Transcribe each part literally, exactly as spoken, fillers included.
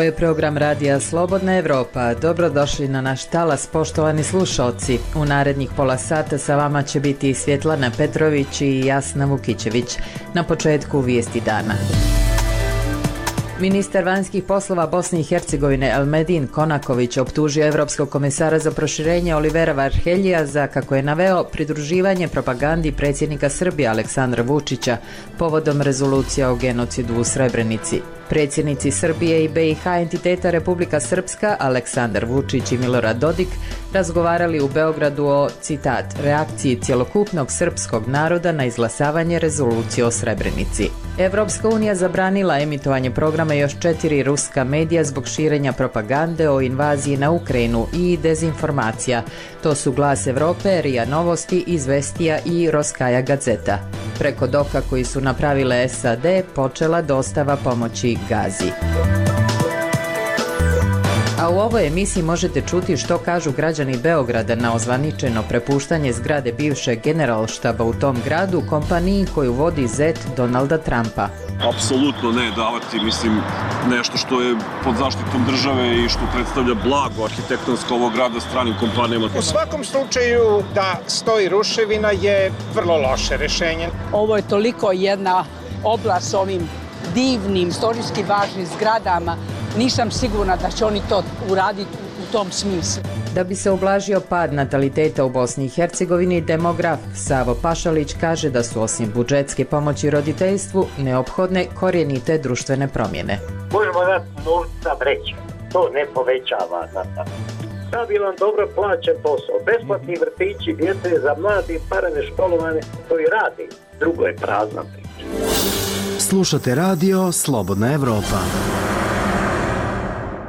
Ovo je program Radija Slobodna Evropa. Dobrodošli na naš talas, poštovani slušalci. U narednih pola sata sa vama će biti Svjetlana Petrović i Jasna Vukićević. Na početku vijesti dana. Ministar vanjskih poslova Bosne i Hercegovine Elmedin Konaković optužio Evropskog komesara za proširenje Olivera Varheljija za, kako je naveo, pridruživanje propagandi predsjednika Srbije Aleksandra Vučića povodom rezolucija o genocidu u Srebrenici. Predsjednici Srbije i B i H entiteta Republika Srpska Aleksandar Vučić i Milorad Dodik razgovarali u Beogradu o, citat, reakciji cjelokupnog srpskog naroda na izglasavanje rezolucije o Srebrenici. Evropska unija zabranila emitovanje programa još četiri ruska medija zbog širenja propagande o invaziji na Ukrajinu i dezinformacija. To su Glas Evrope, Rija Novosti, Izvestija i Roskaja Gazeta. Preko doka koji su napravile S A D počela dostava pomoći Gazi. A u ovoj emisiji možete čuti što kažu građani Beograda na ozvaničeno prepuštanje zgrade bivšeg generalštaba u tom gradu kompaniji koju vodi zet Donalda Trumpa. Apsolutno ne davati, mislim, nešto što je pod zaštitom države i što predstavlja blago arhitektonsko ovog grada stranim kompanijama. U svakom slučaju da stoji ruševina je vrlo loše rešenje. Ovo je toliko jedna oblast s ovim divnim, istorijski važnim zgradama. Nisam sigurna da će oni to uraditi u tom smislu. Da bi se ublažio pad nataliteta u Bosni i Hercegovini, demograf Savo Pašalić kaže da su osim budžetske pomoći roditeljstvu neophodne korijenite društvene promjene. Možemo dati novca vreća, to ne povećava natalitet. Stabilan, dobro plaćen posao, besplatni vrtići, djece za mladi, parane školovane, to i radi. Drugo je prazna priča. Slušate radio Slobodna Evropa.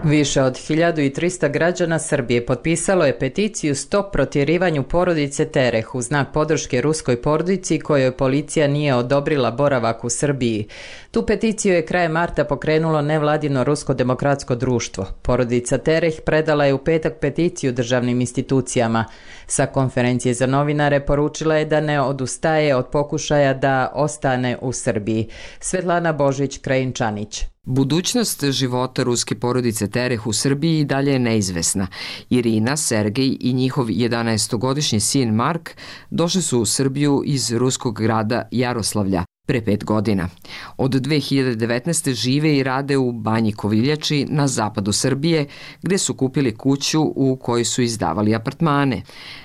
Više od hiljadu trista građana Srbije potpisalo je peticiju Stop protjerivanju porodice Tereh u znak podrške ruskoj porodici kojoj policija nije odobrila boravak u Srbiji. Tu peticiju je krajem marta pokrenulo nevladino Rusko demokratsko društvo. Porodica Tereh predala je u petak peticiju državnim institucijama. Sa konferencije za novinare poručila je da ne odustaje od pokušaja da ostane u Srbiji. Svetlana Božić-Krajinčanić. Budućnost života ruske porodice Tereh u Srbiji i dalje je neizvesna. Irina, Sergej i njihov jedanaestogodišnji sin Mark došli su u Srbiju iz ruskog grada Jaroslavlja pre pet godina. Od dve hiljade devetnaeste. žive i rade u Banji Koviljači na zapadu Srbije, gde su kupili kuću u kojoj su izdavali apartmane.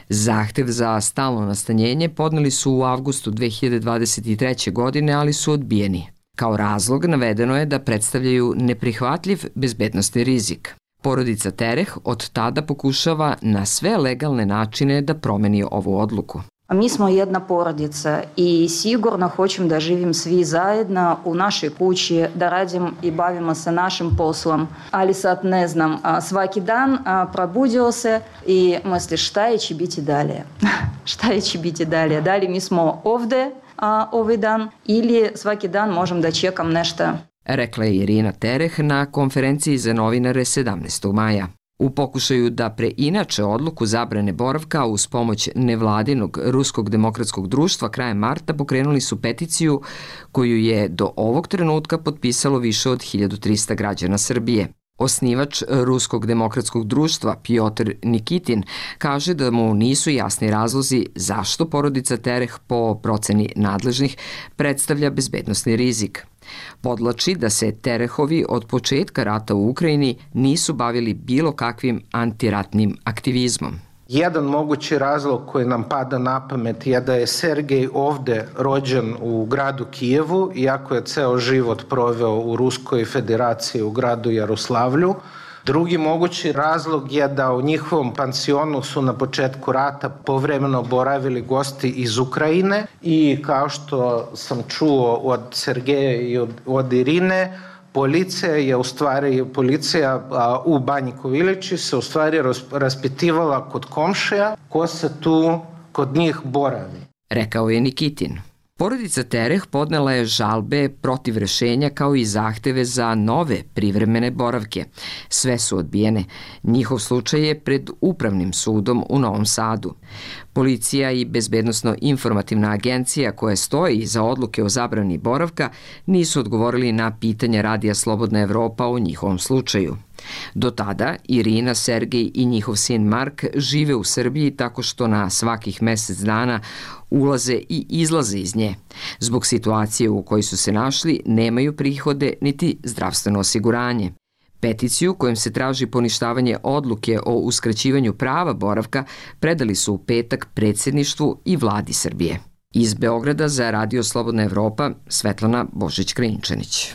Zahtev za stalno nastanjenje podneli su u avgustu dve hiljade dvadeset treće. godine, ali su odbijeni. Kao razlog navedeno je da predstavljaju neprihvatljiv bezbednosni rizik. Porodica Tereh od tada pokušava na sve legalne načine da promeni ovu odluku. Mi smo jedna porodica i sigurno hoćemo da živim svi zajedno u našoj kući, da radim i bavimo se našim poslom. Ali sad ne znam, svaki dan probudio se i misliš šta je će biti dalje? Šta je će biti dalje? Da li mi smo ovdje a, ovaj dan ili svaki dan možem da čekam nešto? Rekla je Irina Tereh na konferenciji za novinare sedamnaestog maja. U pokušaju da preinače odluku zabrane boravka uz pomoć nevladinog Ruskog demokratskog društva krajem marta pokrenuli su peticiju koju je do ovog trenutka potpisalo više od hiljadu trista građana Srbije. Osnivač Ruskog demokratskog društva Pjotr Nikitin kaže da mu nisu jasni razlozi zašto porodica Tereh po proceni nadležnih predstavlja bezbednosni rizik. Podlači da se Terehovi od početka rata u Ukrajini nisu bavili bilo kakvim antiratnim aktivizmom. Jedan mogući razlog koji nam pada na pamet je da je Sergej ovde rođen u gradu Kijevu, iako je ceo život proveo u Ruskoj federaciji u gradu Jaroslavlju. Drugi mogući razlog je da u njihovom pansionu su na početku rata povremeno boravili gosti iz Ukrajine i kao što sam čuo od Sergeja i od, od Irine, policija je u stvari, policija a, u Banji Koviljači se u stvari raspitivala kod komšija ko se tu kod njih boravi. Rekao je Nikitin. Porodica Tereh podnela je žalbe protiv rešenja kao i zahteve za nove privremene boravke. Sve su odbijene. Njihov slučaj je pred Upravnim sudom u Novom Sadu. Policija i Bezbednosno-informativna agencija koja stoji za odluke o zabrani boravka nisu odgovorili na pitanje Radija Slobodna Evropa o njihovom slučaju. Do tada Irina, Sergej i njihov sin Mark žive u Srbiji tako što na svakih mesec dana ulaze i izlaze iz nje. Zbog situacije u kojoj su se našli nemaju prihode niti zdravstveno osiguranje. Peticiju kojom se traži poništavanje odluke o uskraćivanju prava boravka predali su u petak predsjedništvu i vladi Srbije. Iz Beograda za Radio Slobodna Evropa, Svetlana Božić-Krinčanić.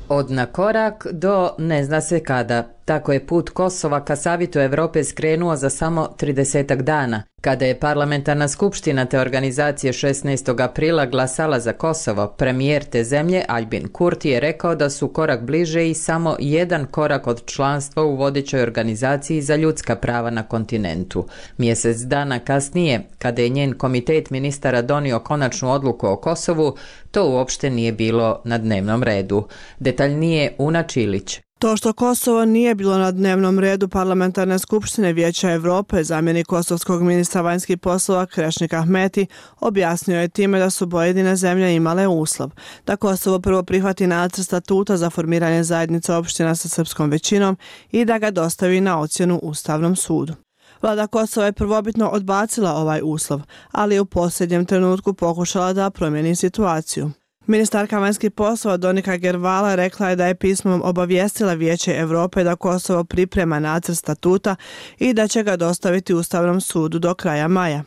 Od na korak do ne zna se kada. Tako je put Kosova ka Savitu Evrope skrenuo za samo tridesetak dana. Kada je parlamentarna skupština te organizacije šesnaestog aprila glasala za Kosovo, premijer te zemlje Aljbin Kurti je rekao da su korak bliže i samo jedan korak od članstva u vodećoj organizaciji za ljudska prava na kontinentu. Mjesec dana kasnije, kada je njen komitet ministara donio konačnu odluku o Kosovu, to uopšte nije bilo na dnevnom redu. Detaljnije Una Čilić. To što Kosovo nije bilo na dnevnom redu parlamentarne skupštine Vijeća Evrope, zamjenik kosovskog ministra vanjskih poslova Krešnik Ahmeti objasnio je time da su pojedine zemlje imale uslov da Kosovo prvo prihvati nacrt statuta za formiranje zajednice opština sa srpskom većinom i da ga dostavi na ocjenu Ustavnom sudu. Vlada Kosova je prvobitno odbacila ovaj uslov, ali je u posljednjem trenutku pokušala da promijeni situaciju. Ministarka vanjskih poslova Donika Gervala rekla je da je pismom obavijestila Vijeće Evrope da Kosovo priprema nacrt statuta i da će ga dostaviti Ustavnom sudu do kraja maja.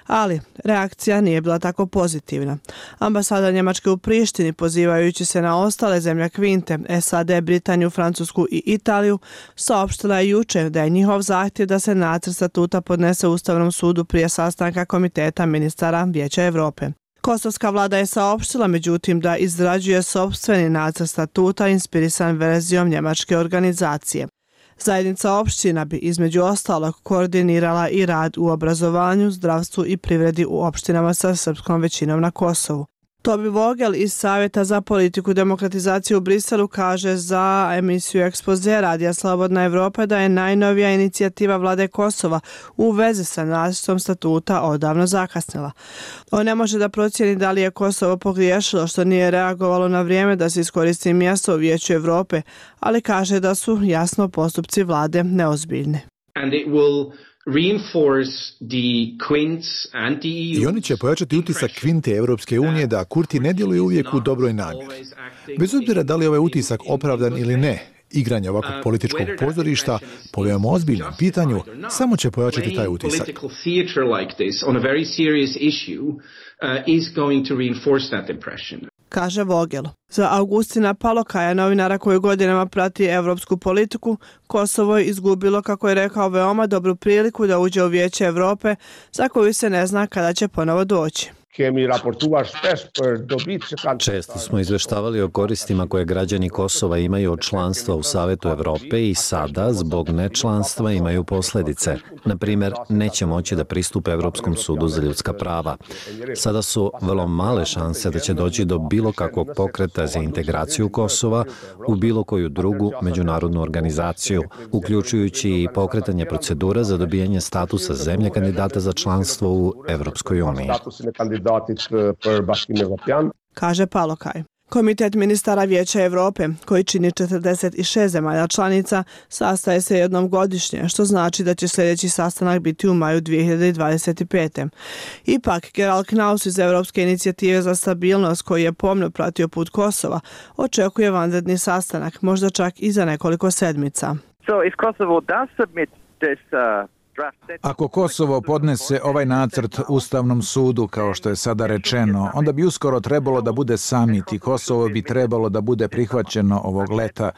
Ali reakcija nije bila tako pozitivna. Ambasada Njemačke u Prištini, pozivajući se na ostale zemlje Kvinte, S A D, Britaniju, Francusku i Italiju, saopštila je juče da je njihov zahtjev da se nacrt statuta podnese Ustavnom sudu prije sastanka Komiteta ministara Vijeća Evrope. Kosovska vlada je saopštila međutim da izrađuje sopstveni nacrt statuta inspirisan verzijom njemačke organizacije. Zajednica opština bi između ostalog koordinirala i rad u obrazovanju, zdravstvu i privredi u opštinama sa srpskom većinom na Kosovu. Tobi Vogel iz Savjeta za politiku demokratizacije u Briselu kaže za emisiju Ekspoze Radija Slobodna Evropa da je najnovija inicijativa vlade Kosova u vezi sa nacrtom statuta odavno zakasnila. On ne može da procijeni da li je Kosovo pogriješilo što nije reagovalo na vrijeme da se iskoristi mjesto u Vijeću Evrope, ali kaže da su jasno postupci vlade neozbiljni. And it will I oni će pojačati utisak Kvinte Evropske unije da Kurti ne djeluje uvijek u dobroj namjeri. Bez obzira da li je ovaj utisak opravdan ili ne, igranje ovakvog političkog pozorišta po veoma ozbiljnom pitanju samo će pojačati taj utisak. Kaže Vogel. Za Augustina Palokaja, novinara koji godinama prati evropsku politiku, Kosovo je izgubilo, kako je rekao, veoma dobru priliku da uđe u Vijeće Evrope, za koju se ne zna kada će ponovo doći. Često smo izveštavali o koristima koje građani Kosova imaju od članstva u Savetu Evrope i sada, zbog nečlanstva, imaju posljedice. Na primjer, neće moći da pristupe Evropskom sudu za ljudska prava. Sada su vrlo male šanse da će doći do bilo kakvog pokreta za integraciju Kosova u bilo koju drugu međunarodnu organizaciju, uključujući i pokretanje procedura za dobijanje statusa zemlje kandidata za članstvo u Evropskoj uniji. Kaže Palokaj. Komitet ministara Vijeća Evrope, koji čini četrdeset šest zemalja članica, sastaje se jednom godišnje, što znači da će sljedeći sastanak biti u maju dvije hiljade dvadeset pete. Ipak, Gerald Knaus iz Evropske inicijative za stabilnost, koji je pomno pratio put Kosova, očekuje vanredni sastanak, možda čak i za nekoliko sedmica. So if Kosovo does submit this uh... Ako Kosovo podnese ovaj nacrt Ustavnom sudu, kao što je sada rečeno, onda bi uskoro trebalo da bude samit i Kosovo bi trebalo da bude prihvaćeno ovog leta.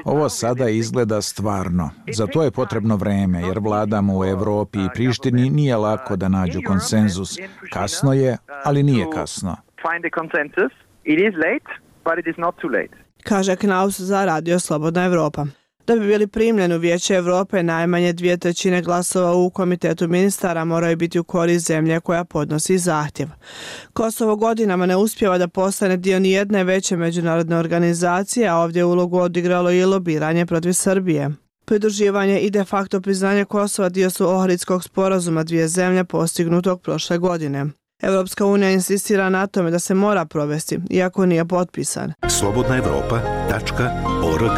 Ovo sada izgleda stvarno. Za to je potrebno vreme, jer vladama u Evropi i Prištini nije lako da nađu konsenzus. Kasno je, ali nije kasno. Kaže Knaus za Radio Slobodna Evropa. Da bi bili primljeni u Vijeće Evrope, najmanje dvije trećine glasova u Komitetu ministara moraju biti u korist zemlje koja podnosi zahtjev. Kosovo godinama ne uspijeva da postane dio nijedne veće međunarodne organizacije, a ovdje ulogu odigralo i lobiranje protiv Srbije. Pridruživanje i de facto priznanje Kosova dio su Ohridskog sporazuma dvije zemlje postignutog prošle godine. Evropska unija insistira na tome da se mora provesti, iako nije potpisan. slobodna evropa tačka org.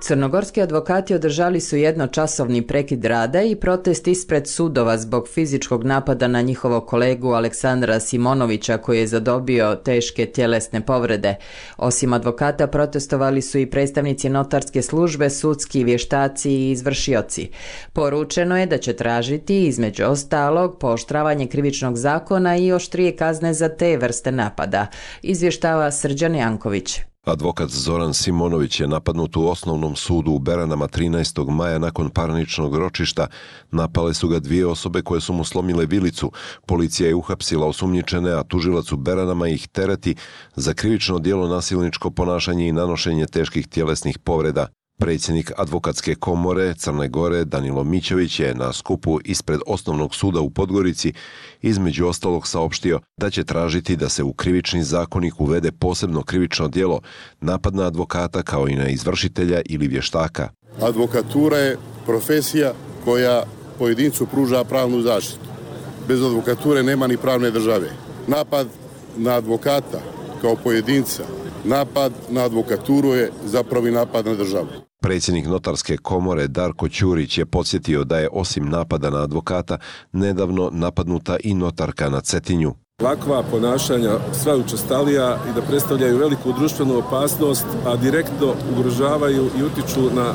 Crnogorski advokati održali su jednočasovni prekid rada i protest ispred sudova zbog fizičkog napada na njihovog kolegu Aleksandra Simonovića koji je zadobio teške tjelesne povrede. Osim advokata protestovali su i predstavnici notarske službe, sudski vještaci i izvršioci. Poručeno je da će tražiti između ostalog pooštravanje krivičnog zakona i oštrije kazne za te vrste napada, izvještava Srđan Janković. Advokat Zoran Simonović je napadnut u osnovnom sudu u Beranama trinaestog maja nakon parničnog ročišta. Napale su ga dvije osobe koje su mu slomile vilicu. Policija je uhapsila osumnjičene, a tužilac u Beranama ih tereti za krivično djelo nasilničko ponašanje i nanošenje teških tjelesnih povreda. Predsjednik Advokatske komore Crne Gore Danilo Mićović je na skupu ispred osnovnog suda u Podgorici između ostalog saopštio da će tražiti da se u krivični zakonik uvede posebno krivično djelo napad na advokata kao i na izvršitelja ili vještaka. Advokatura je profesija koja pojedincu pruža pravnu zaštitu. Bez advokature nema ni pravne države. Napad na advokata kao pojedinca, napad na advokaturu je zapravo i napad na državu. Predsjednik Notarske komore Darko Ćurić je podsjetio da je osim napada na advokata nedavno napadnuta i notarka na Cetinju. Ovakva ponašanja sva učestalija i da predstavljaju veliku društvenu opasnost, a direktno ugrožavaju i utiču na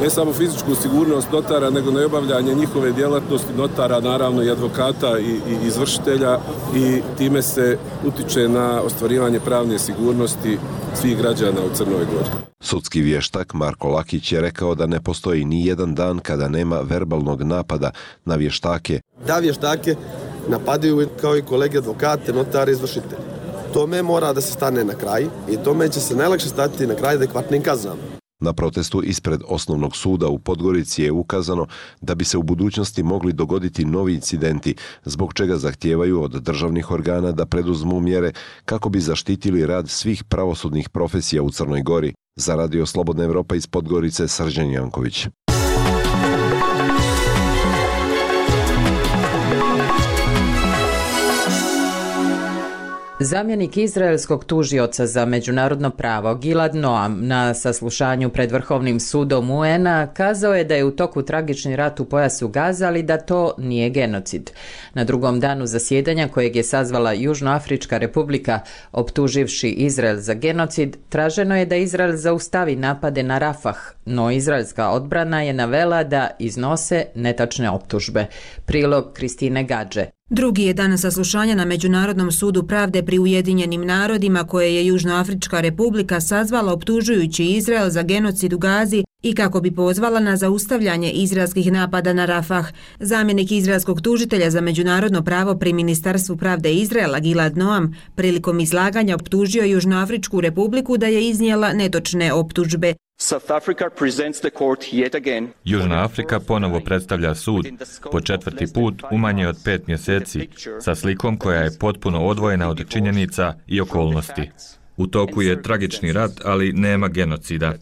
ne samo fizičku sigurnost notara, nego na obavljanje njihove djelatnosti notara, naravno i advokata i, i izvršitelja, i time se utiče na ostvarivanje pravne sigurnosti svih građana u Crnoj Gori. Sudski vještak Marko Lakić je rekao da ne postoji ni jedan dan kada nema verbalnog napada na vještake. Da vještake napadaju kao i kolege advokate, notari, izvršitelji. Tome mora da se stane na kraj i tome će se najlakše stati na kraj adekvatnim kaznama. Na protestu ispred osnovnog suda u Podgorici je ukazano da bi se u budućnosti mogli dogoditi novi incidenti, zbog čega zahtijevaju od državnih organa da preduzmu mjere kako bi zaštitili rad svih pravosudnih profesija u Crnoj Gori. Za Radio Slobodna Evropa iz Podgorice, Srđan Janković. Zamjenik izraelskog tužioca za međunarodno pravo Gilad Noam na saslušanju pred Vrhovnim sudom U N A kazao je da je u toku tragični rat u pojasu Gaza, ali da to nije genocid. Na drugom danu zasjedanja kojeg je sazvala Južnoafrička republika optuživši Izrael za genocid, traženo je da Izrael zaustavi napade na Rafah, no izraelska odbrana je navela da iznose netačne optužbe. Prilog Kristine Gadže. Drugi je dan saslušanja na Međunarodnom sudu pravde pri Ujedinjenim narodima koje je Južnoafrička republika sazvala optužujući Izrael za genocid u Gazi i kako bi pozvala na zaustavljanje izraelskih napada na Rafah. Zamjenik izraelskog tužitelja za međunarodno pravo pri Ministarstvu pravde Izraela Gilad Noam prilikom izlaganja optužio Južnoafričku republiku da je iznijela netočne optužbe. Južna Afrika ponovo predstavlja sud po četvrti put u manje od pet mjeseci sa slikom koja je potpuno odvojena od činjenica i okolnosti. U toku je tragični rat, ali nema genocida.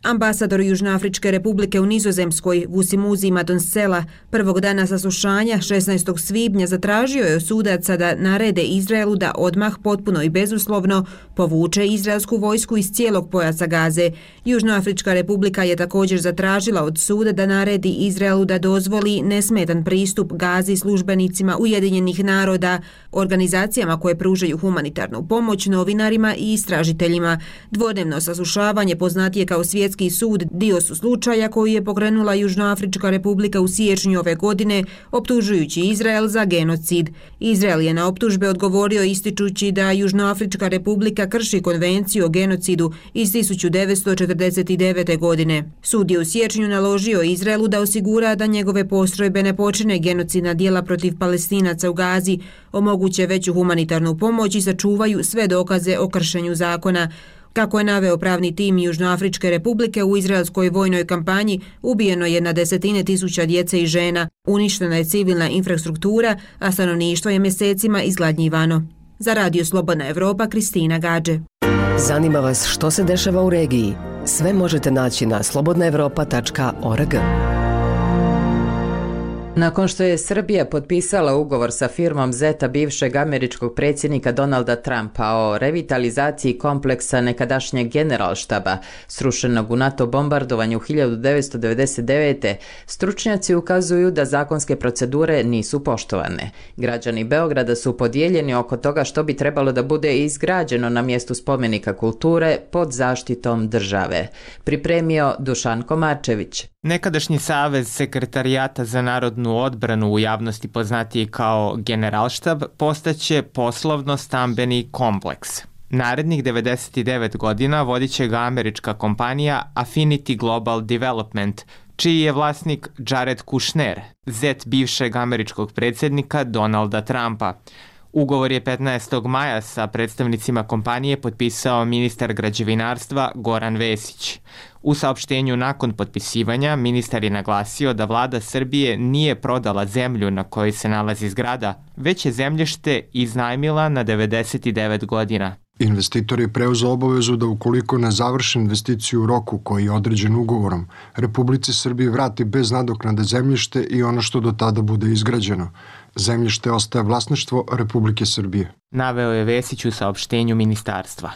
Ambasador Južnoafričke republike u Nizozemskoj Vusimuzi Madonsela prvog dana saslušanja šesnaestog svibnja zatražio je od sudaca da narede Izraelu da odmah potpuno i bezuslovno povuče izraelsku vojsku iz cijelog pojasa Gaze. Južnoafrička republika je također zatražila od suda da naredi Izraelu da dozvoli nesmetan pristup Gazi službenicima Ujedinjenih naroda, organizacijama koje pružaju humanitarnu pomoć, novinarima i istražiteljima. Dvodnevno saslušavanje poznatije kao svijet svjetski sud dio su slučaja koji je pokrenula Južnoafrička republika u siječnju ove godine, optužujući Izrael za genocid. Izrael je na optužbe odgovorio ističući da Južnoafrička republika krši konvenciju o genocidu iz tisuću devetsto četrdeset devete. godine. Sud je u siječnju naložio Izraelu da osigura da njegove postrojbe ne počine genocidna djela protiv Palestinaca u Gazi, omoguće veću humanitarnu pomoć i sačuvaju sve dokaze o kršenju zakona. Kako je naveo pravni tim Južnoafričke republike, u izraelskoj vojnoj kampanji ubijeno je na desetine tisuća djece i žena, uništena je civilna infrastruktura, a stanovništvo je mjesecima izgladnjivano. Za Radio Slobodna Evropa, Kristina Gađe. Zanima vas što se dešava u regiji? Sve možete naći na slobodna evropa tačka org. Nakon što je Srbija potpisala ugovor sa firmom Zeta bivšeg američkog predsjednika Donalda Trumpa o revitalizaciji kompleksa nekadašnjeg generalštaba, srušenog u NATO bombardovanju hiljadu devetsto devedeset devete. stručnjaci ukazuju da zakonske procedure nisu poštovane. Građani Beograda su podijeljeni oko toga što bi trebalo da bude izgrađeno na mjestu spomenika kulture pod zaštitom države. Pripremio Dušan Komarčević. Nekadašnji Savez sekretarijata za narodnu odbranu, u javnosti poznatiji kao Generalštab, postaće poslovno-stambeni kompleks. Narednih devedeset devet godina vodit će ga američka kompanija Affinity Global Development, čiji je vlasnik Jared Kushner, zet bivšeg američkog predsjednika Donalda Trumpa. Ugovor je petnaestog maja sa predstavnicima kompanije potpisao ministar građevinarstva Goran Vesić. U saopštenju nakon potpisivanja ministar je naglasio da vlada Srbije nije prodala zemlju na kojoj se nalazi zgrada, već je zemljište iznajmila na devedeset devet godina. Investitor je preuzeo obavezu da ukoliko ne završi investiciju u roku koji je određen ugovorom, Republici Srbije vrati bez nadoknade zemljište i ono što do tada bude izgrađeno. Zemljište ostaje vlasništvo Republike Srbije. Naveo je Vesić u saopštenju ministarstva.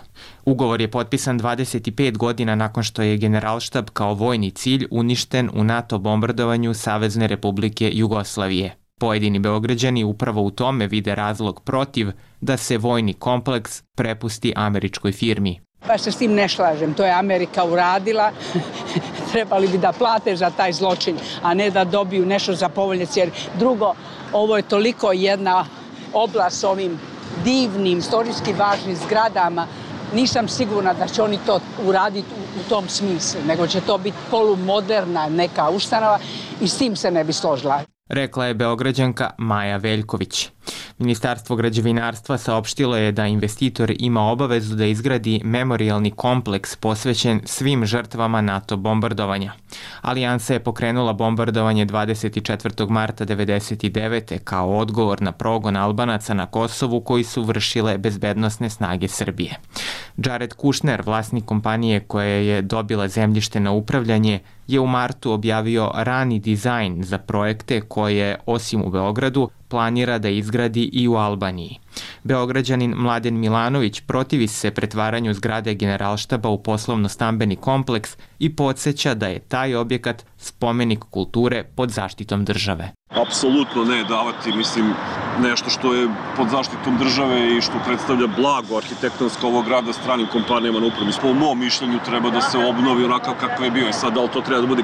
Ugovor je potpisan dvadeset pet godina nakon što je Generalštab kao vojni cilj uništen u NATO bombardovanju Savezne Republike Jugoslavije. Pojedini Beograđani upravo u tome vide razlog protiv da se vojni kompleks prepusti američkoj firmi. Baš se s tim ne slažem, to je Amerika uradila, trebali bi da plate za taj zločin, a ne da dobiju nešto za povoljne cijene. Drugo, ovo je toliko jedna oblast s ovim divnim, istorijski važnim zgradama, nisam sigurna da će oni to uraditi u, u tom smislu, nego će to biti polumoderna neka ustanova i s tim se ne bi složila. Rekla je Beograđanka Maja Veljković. Ministarstvo građevinarstva saopštilo je da investitor ima obavezu da izgradi memorijalni kompleks posvećen svim žrtvama NATO bombardovanja. Alijansa je pokrenula bombardovanje dvadeset četvrtog marta devedeset devete. kao odgovor na progon Albanaca na Kosovu koji su vršile bezbednosne snage Srbije. Jared Kushner, vlasnik kompanije koja je dobila zemljište na upravljanje, je u martu objavio rani dizajn za projekte koje, osim u Beogradu, planira da izgradi i u Albaniji. Beograđanin Mladen Milanović protivi se pretvaranju zgrade Generalštaba u poslovno-stambeni kompleks i podsjeća da je taj objekat spomenik kulture pod zaštitom države. Apsolutno ne davati, mislim, nešto što je pod zaštitom države i što predstavlja blago arhitektonsko ovog grada stranim kompanijama na upravi. Po mom mišljenju treba da se obnovi onakav kakav je bio. I sad, da li to treba da bude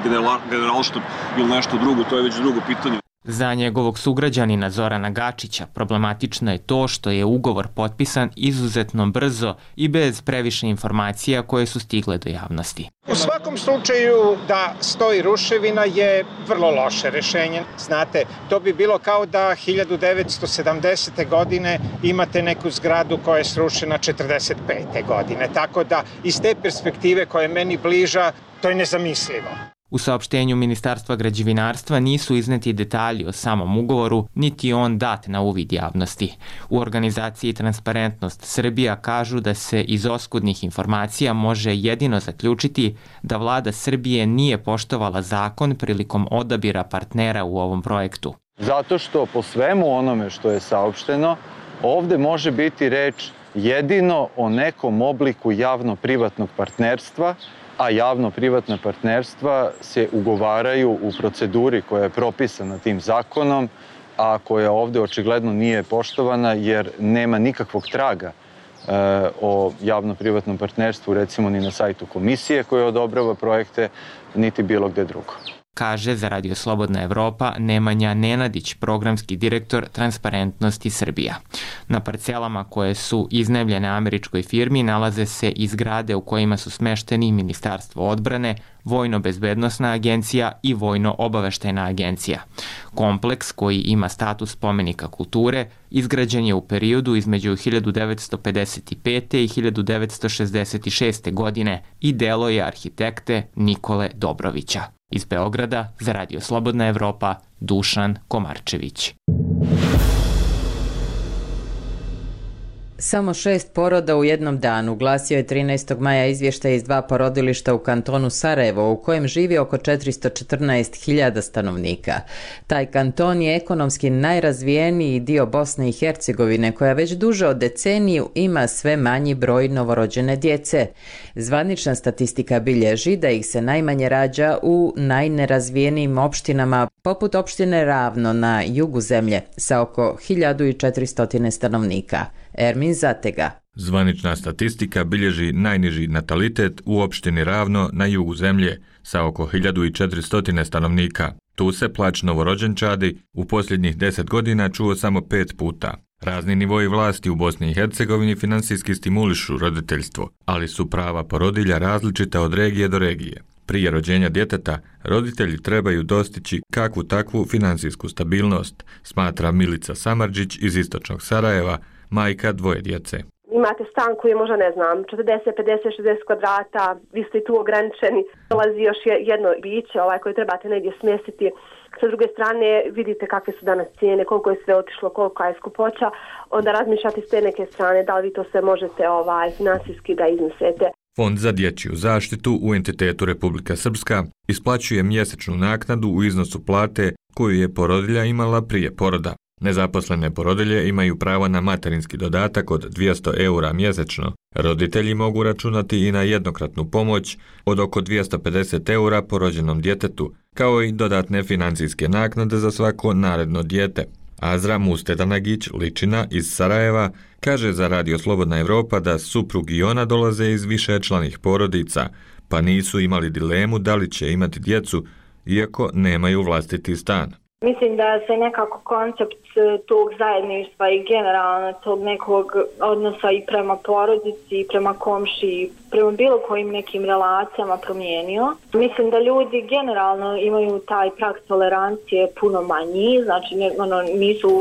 Generalštab ili nešto drugo, to je već drugo pitanje. Za njegovog sugrađanina Zorana Gačića problematično je to što je ugovor potpisan izuzetno brzo i bez previše informacija koje su stigle do javnosti. U svakom slučaju da stoji ruševina je vrlo loše rešenje. Znate, to bi bilo kao da hiljadu devetsto sedamdesete. godine imate neku zgradu koja je srušena četrdeset pete. godine. Tako da iz te perspektive koja je meni bliža, to je nezamislivo. U saopštenju Ministarstva građevinarstva nisu izneti detalji o samom ugovoru, niti on dat na uvid javnosti. U organizaciji Transparentnost Srbija kažu da se iz oskudnih informacija može jedino zaključiti da vlada Srbije nije poštovala zakon prilikom odabira partnera u ovom projektu. Zato što po svemu onome što je saopšteno, ovde može biti reč jedino o nekom obliku javno-privatnog partnerstva, a javno-privatna partnerstva se ugovaraju u proceduri koja je propisana tim zakonom, a koja ovde očigledno nije poštovana jer nema nikakvog traga o javno-privatnom partnerstvu, recimo ni na sajtu komisije koja odobrava projekte, niti bilo gde drugo. Kaže za Radio Slobodna Evropa Nemanja Nenadić, programski direktor Transparentnosti Srbija. Na parcelama koje su iznajmljene američkoj firmi nalaze se i zgrade u kojima su smešteni Ministarstvo odbrane, Vojno-bezbednosna agencija i Vojno-obaveštajna agencija. Kompleks, koji ima status spomenika kulture, izgrađen je u periodu između hiljadu devetsto pedeset pete. i hiljadu devetsto šezdeset šeste. godine i delo je arhitekte Nikole Dobrovića. Iz Beograda za Radio Slobodna Evropa, Dušan Komarčević. Samo šest poroda u jednom danu, glasio je trinaestog maja izvještaj iz dva porodilišta u kantonu Sarajevo, u kojem živi oko četiristo četrnaest hiljada stanovnika. Taj kanton je ekonomski najrazvijeniji dio Bosne i Hercegovine, koja već duže od deceniju ima sve manji broj novorođene djece. Zvanična statistika bilježi da ih se najmanje rađa u najnerazvijenijim opštinama, poput opštine Ravno na jugu zemlje, sa oko hiljadu četiristo stanovnika. Ermin Zatega. Zvanična statistika bilježi najniži natalitet u opštini Ravno na jugu zemlje sa oko hiljadu četiristo stanovnika. Tu se plać novorođenčadi u posljednjih deset godina čuo samo pet puta. Razni nivoji vlasti u Bosni i Hercegovini finansijski stimulišu roditeljstvo, ali su prava porodilja različita od regije do regije. Prije rođenja djeteta, roditelji trebaju dostići kakvu takvu finansijsku stabilnost, smatra Milica Samardžić iz istočnog Sarajeva, majka dvoje djece. Imate stan koji je možda, ne znam, četrdeset, pedeset, šezdeset kvadrata, vi ste i tu ograničeni, dolazi još jedno biće ovaj, koje trebate negdje smjestiti. Sa druge strane vidite kakve su danas cijene, koliko je sve otišlo, koliko je skupoća, onda razmišljate s te neke strane da li vi to sve možete ovaj, finansijski da iznesete. Fond za dječju zaštitu u entitetu Republika Srpska isplaćuje mjesečnu naknadu u iznosu plate koju je porodilja imala prije poroda. Nezaposlene porodilje imaju pravo na materinski dodatak od dvjesto eura mjesečno. Roditelji mogu računati i na jednokratnu pomoć od oko dvjesto pedeset eura po rođenom djetetu, kao i dodatne financijske naknade za svako naredno dijete. Azra Mustedanagić Ličina iz Sarajeva kaže za Radio Slobodna Evropa da suprug i ona dolaze iz višečlanih porodica, pa nisu imali dilemu da li će imati djecu, iako nemaju vlastiti stan. Mislim da se nekako koncept tog zajedništva i generalno tog nekog odnosa i prema porodici, i prema komši, i prema bilo kojim nekim relacijama promijenio. Mislim da ljudi generalno imaju taj prag tolerancije puno manji, znači ne, ono, nisu,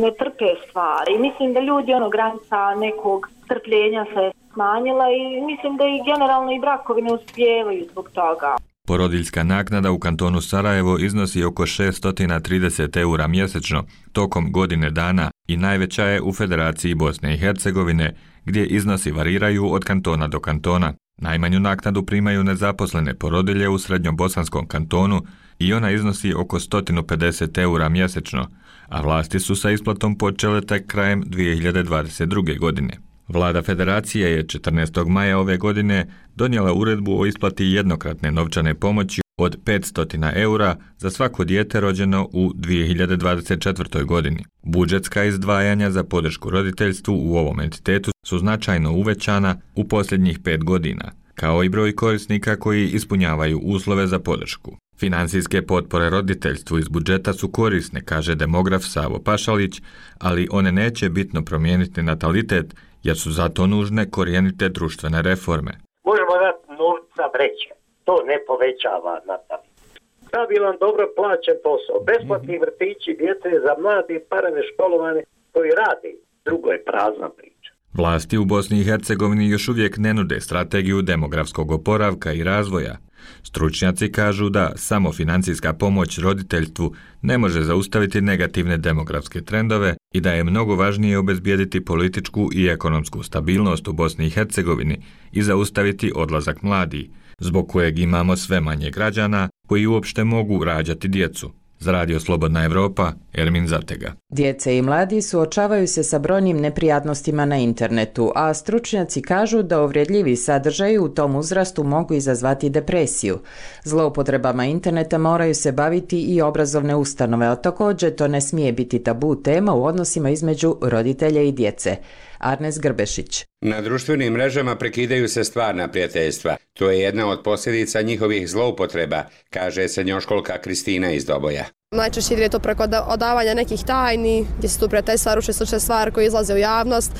ne trpe stvari. Mislim da ljudi, ono, granica nekog trpljenja se smanjila i mislim da i generalno i brakovi ne uspijevaju zbog toga. Porodiljska naknada u kantonu Sarajevo iznosi oko šesto trideset eura mjesečno tokom godine dana i najveća je u Federaciji Bosne i Hercegovine, gdje iznosi variraju od kantona do kantona. Najmanju naknadu primaju nezaposlene porodilje u srednjobosanskom kantonu i ona iznosi oko sto pedeset eura mjesečno, a vlasti su sa isplatom počele tek krajem dvije hiljade dvadeset druge. godine. Vlada Federacije je četrnaestog maja ove godine donijela uredbu o isplati jednokratne novčane pomoći od petsto eura za svako dijete rođeno u dvije hiljade dvadeset četvrtoj. godini. Budžetska izdvajanja za podršku roditeljstvu u ovom entitetu su značajno uvećana u posljednjih pet godina, kao i broj korisnika koji ispunjavaju uslove za podršku. Finansijske potpore roditeljstvu iz budžeta su korisne, kaže demograf Savo Pašalić, ali one neće bitno promijeniti natalitet, jer su zato nužne korijenite društvene reforme. Možemo dati novca vreće, to ne povećava natalitet. Stabilan, dobro plaćen posao, besplatni vrtići, djece za mladi, parane školovane koji radi, drugo je prazna priča. Vlasti u Bosni i Hercegovini još uvijek ne nude strategiju demografskog oporavka i razvoja. Stručnjaci kažu da samo financijska pomoć roditeljstvu ne može zaustaviti negativne demografske trendove i da je mnogo važnije obezbijediti političku i ekonomsku stabilnost u Bosni i Hercegovini i zaustaviti odlazak mladih, zbog kojeg imamo sve manje građana koji uopšte mogu rađati djecu. Za Radio Slobodna Evropa, Ermin Zatega. Djece i mladi suočavaju se sa brojnim neprijatnostima na internetu, a stručnjaci kažu da uvredljivi sadržaji u tom uzrastu mogu izazvati depresiju. Zloupotrebama interneta moraju se baviti i obrazovne ustanove, a također to ne smije biti tabu tema u odnosima između roditelja i djece. Arnes Grbešić. Na društvenim mrežama prekidaju se stvarna prijateljstva. To je jedna od posljedica njihovih zloupotreba, kaže srednjoškolka Kristina iz Doboja. Najčešće ide to preko odavanja nekih tajni, gdje se tu prijateljstva ruše slične stvari koje izlaze u javnost,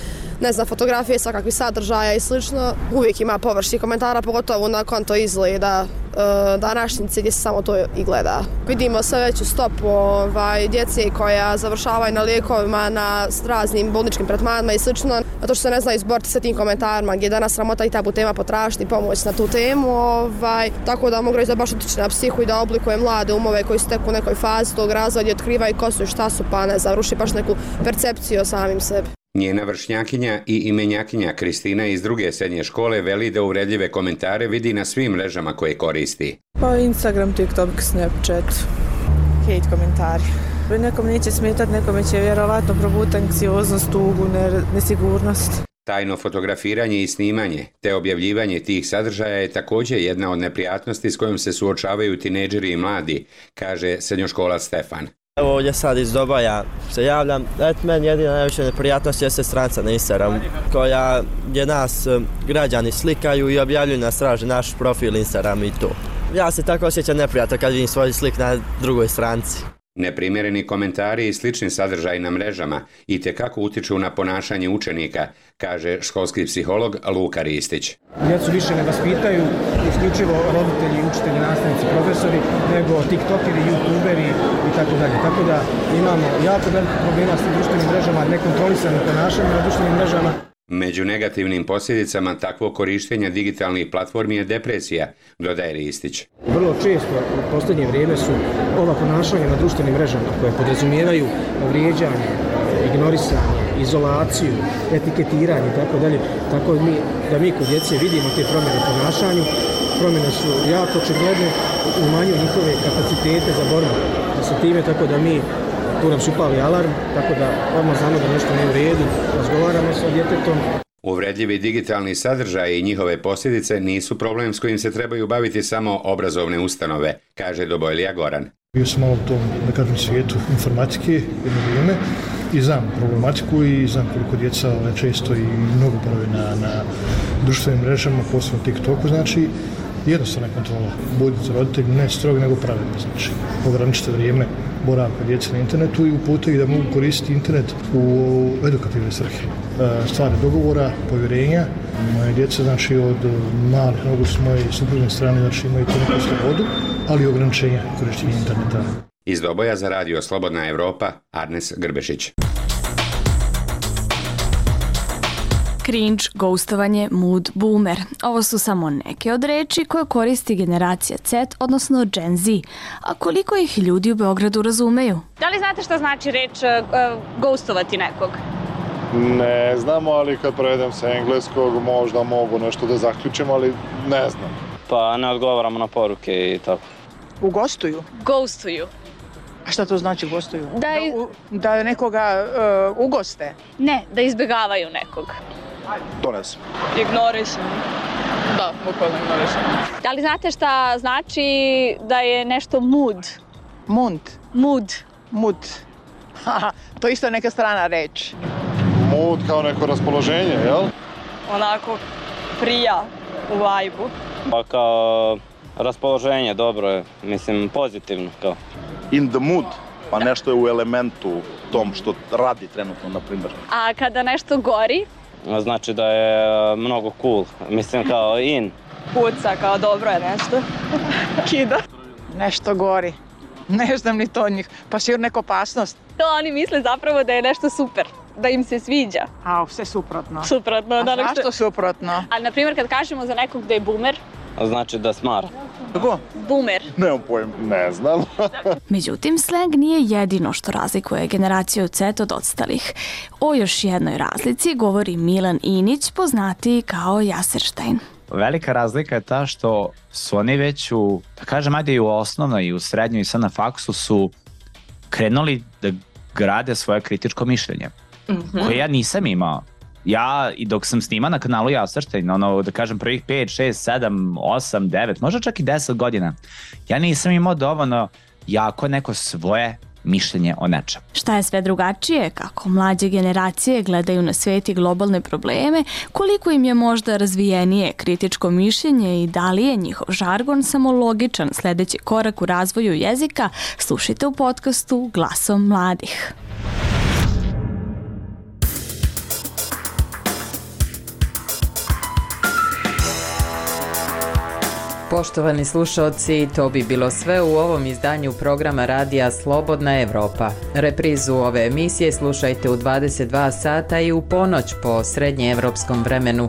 ne znam, fotografije, svakakvih sadržaja i slično. Uvijek ima površnih komentara, pogotovo na konto izgleda e, današnjice gdje se samo to i gleda. Vidimo sve veću stopu ovaj, djece koja završavaju na lijekovima, na raznim bolničkim tretmanima i slično, zato što se ne znaju izboriti sa tim komentarima, gdje je danas sramota i tabu tema potražiti pomoć na tu temu. Ovaj, tako da mogu reći da baš utiče na psihu i da oblikuje mlade umove koji su tek u nekoj fazi tog razvoja gdje otkrivaju ko su i šta su, pa ne završi baš neku percepciju o samim sebi. Njena vršnjakinja i imenjakinja Kristina iz druge srednje škole veli da uvredljive komentare vidi na svim mrežama koje koristi. Pa Instagram, TikTok, Snapchat, hate komentari. Nekom neće smetati, nekome će vjerovatno probuti anksioznost, tugu, nesigurnost. Tajno fotografiranje i snimanje te objavljivanje tih sadržaja je također jedna od neprijatnosti s kojom se suočavaju tinejdžeri i mladi, kaže srednjoškolac Stefan. Evo ovdje sad iz Doboja se javljam. Eto, meni jedina najveća neprijatnost je stranica na Instagram, koja gdje nas građani slikaju i objavljuju nas, traže naš profil Instagram i to. Ja se tako osjećam neprijatno kad vidim svoj slik na drugoj stranici. Neprimjereni komentari i slični sadržaji na mrežama itekako utiču na ponašanje učenika, kaže školski psiholog Luka Ristić. Djecu više ne vaspitaju isključivo roditelji, učitelji, nastavnici, profesori, nego tiktokeri, youtuberi i tako dalje. Tako da imamo jako veliko problema s društvenim mrežama, nekontrolisanim ponašanjem na društvenim mrežama. Među negativnim posljedicama takvog korištenja digitalnih platformi je depresija, dodaje Ristić. Vrlo često u posljednje vrijeme su ova ponašanja na društvenim mrežama koje podrazumijevaju vrijeđanje, ignorisanje, izolaciju, etiketiranje i tako dalje. Tako mi, da mi kod djece vidimo te promjene u ponašanju. Promjene su jako očigledne, umanjuju njihove kapacitete za borbu sa time, tako da mi tu nam su upali alarm, tako da odmah znamo da nešto nije u redu, razgovaramo sa djetetom. Uvredljivi digitalni sadržaji i njihove posljedice nisu problem s kojim se trebaju baviti samo obrazovne ustanove, kaže Dobojlija Goran. Bio sam malo u tom, da kažem, svijetu informatike jedno vrijeme i znam problematiku i znam koliko djeca često i mnogo prave na, na društvenim mrežama, posebno TikToku, znači jednostavna kontrola. Budite roditelji, ne strog, nego pravilno, znači ograničite vrijeme boravka djece na internetu i upute ih da mogu koristiti internet u edukativne svrhe. Stvari dogovora, povjerenja. Moje djeca, znači, od malih nogu s moje suprotne strane, znači, imaju to neku slobodu, ali i ograničenja korištenja interneta. Iz Doboja za radio Slobodna Evropa, Arnes Grbešić. Cringe, ghostovanje, mood, boomer. Ovo su samo neke od reči koje koristi generacija Z, odnosno Gen Z. A koliko ih ljudi u Beogradu razumeju? Da li znate šta znači reč uh, ghostovati nekog? Ne znamo, ali kad prevedem sa engleskog možda mogu nešto da zaključim, ali ne znam. Pa ne odgovaramo na poruke i tako. Ugostuju? Ghostuju. A šta to znači gostuju? Da, i... da, da nekoga uh, ugoste? Ne, da izbjegavaju nekog. To ne znam. Ignorišem. Da, bukvalno ignorišem. Da li znate šta znači da je nešto mood? Mood? Mood. Mood. To je isto neka strana reč. Mood kao neko raspoloženje, jel? Onako prija u vibe-u. Pa kao raspoloženje, dobro je, mislim pozitivno kao. In the mood, pa nešto je u elementu tom što radi trenutno, na primjer. A kada nešto gori? Znači da je mnogo cool, mislim kao in. Puca, kao dobro je nešto. Kida. Nešto gori. Ne znam ni to od njih, pa sigurno neka opasnost. To oni misle zapravo da je nešto super, da im se sviđa. A, sve suprotno. Suprotno. A da zašto nešto... suprotno? Ali, na primjer, kad kažemo za nekog da je boomer, znači da smara. Kako? Boomer. Nemam pojem, ne znam. Međutim, slang nije jedino što razlikuje generaciju Z od ostalih. O još jednoj razlici govori Milan Inić, poznatiji kao Jaserštajn. Velika razlika je ta što su oni već u, da kažem, ajde i u osnovnoj i u srednjoj i sad na faksu su krenuli da grade svoje kritičko mišljenje, mm-hmm. koje ja nisam imao. Ja, i dok sam snima na kanalu Jaserštajn, ono, da kažem, prvih pet, šest, sedam, osam, devet, možda čak i deset godina, ja nisam imao dovoljno jako neko svoje mišljenje o nečem. Šta je sve drugačije, kako mlađe generacije gledaju na svijet i globalne probleme, koliko im je možda razvijenije kritičko mišljenje i da li je njihov žargon samo logičan sljedeći korak u razvoju jezika, slušajte u podcastu Glasom mladih. Poštovani slušalci, to bi bilo sve u ovom izdanju programa radija Slobodna Evropa. Reprizu ove emisije slušajte u dvadeset dva sata i u ponoć po srednjeevropskom vremenu.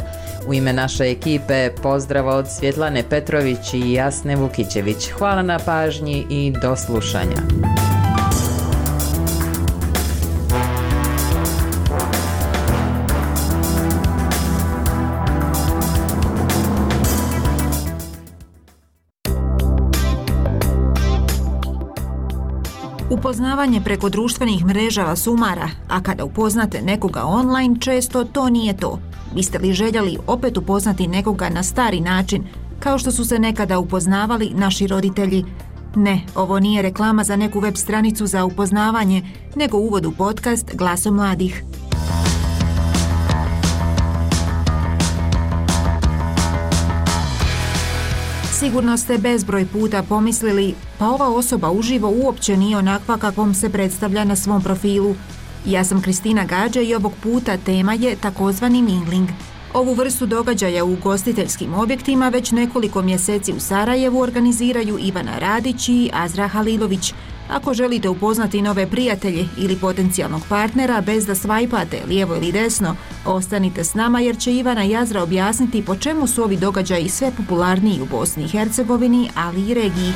U ime naše ekipe pozdrav od Svjetlane Petrović i Jasne Vukićević. Hvala na pažnji i do slušanja. Upoznavanje preko društvenih mreža vas umara, a kada upoznate nekoga online, često to nije to. Biste li željeli opet upoznati nekoga na stari način, kao što su se nekada upoznavali naši roditelji? Ne, ovo nije reklama za neku web stranicu za upoznavanje, nego uvod u podcast Glasom mladih. Sigurno ste bezbroj puta pomislili, pa ova osoba uživo uopće nije onakva kakvom se predstavlja na svom profilu. Ja sam Kristina Gađa i ovog puta tema je takozvani mingling. Ovu vrstu događaja u ugostiteljskim objektima već nekoliko mjeseci u Sarajevu organiziraju Ivana Radić i Azra Halilović. Ako želite upoznati nove prijatelje ili potencijalnog partnera bez da svajpate lijevo ili desno, ostanite s nama jer će Ivana i Azra objasniti po čemu su ovi događaji sve popularniji u Bosni i Hercegovini, ali i regiji.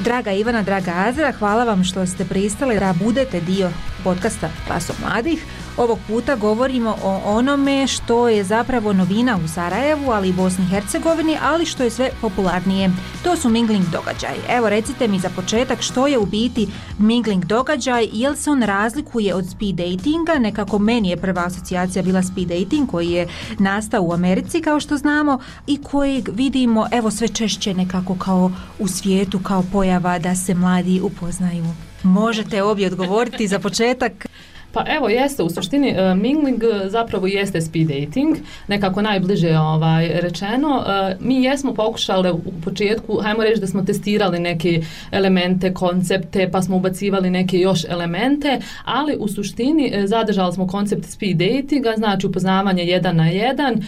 Draga Ivana, draga Azra, hvala vam što ste pristali da budete dio podcasta Glasom mladih. Ovog puta govorimo o onome što je zapravo novina u Sarajevu, ali i Bosni i Hercegovini, ali što je sve popularnije. To su mingling događaji. Evo, recite mi za početak što je u biti mingling događaj, jel se on razlikuje od speed datinga? Nekako meni je prva asocijacija bila speed dating koji je nastao u Americi, kao što znamo, i kojeg vidimo, evo, sve češće nekako kao u svijetu, kao pojava da se mladi upoznaju. Možete obje odgovoriti za početak. Pa evo, jeste, u suštini uh, mingling zapravo jeste speed dating, nekako najbliže ovaj, rečeno. Uh, mi jesmo pokušali u početku, hajmo reći da smo testirali neke elemente, koncepte, pa smo ubacivali neke još elemente, ali u suštini uh, zadržali smo koncept speed datinga, znači upoznavanje jedan na jedan uh,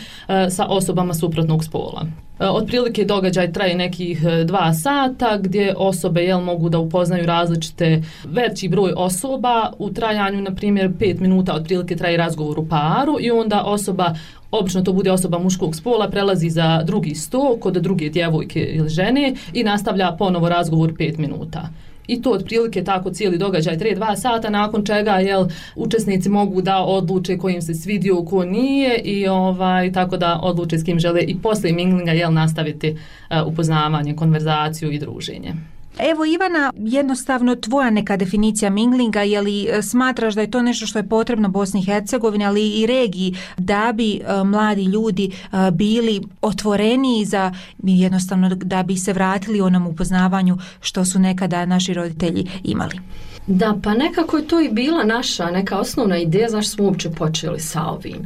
sa osobama suprotnog spola. Otprilike događaj traje nekih dva sata gdje osobe jel, mogu da upoznaju različite veći broj osoba u trajanju, na primjer pet minuta otprilike traje razgovor u paru i onda osoba, obično to bude osoba muškog spola, prelazi za drugi sto kod druge djevojke ili žene i nastavlja ponovo razgovor pet minuta. I to otprilike tako cijeli događaj traje dva sata, nakon čega jel, učesnici mogu da odluče ko im se svidio, ko nije i ovaj, tako da odluče s kim žele i poslije minglinga jel, nastaviti uh, upoznavanje, konverzaciju i druženje. Evo Ivana, jednostavno tvoja neka definicija minglinga, je li smatraš da je to nešto što je potrebno Bosni i Hercegovini, ali i regiji, da bi uh, mladi ljudi uh, bili otvoreniji za jednostavno da bi se vratili onom upoznavanju što su nekada naši roditelji imali? Da, pa nekako je to i bila naša neka osnovna ideja zašto smo uopće počeli sa ovim.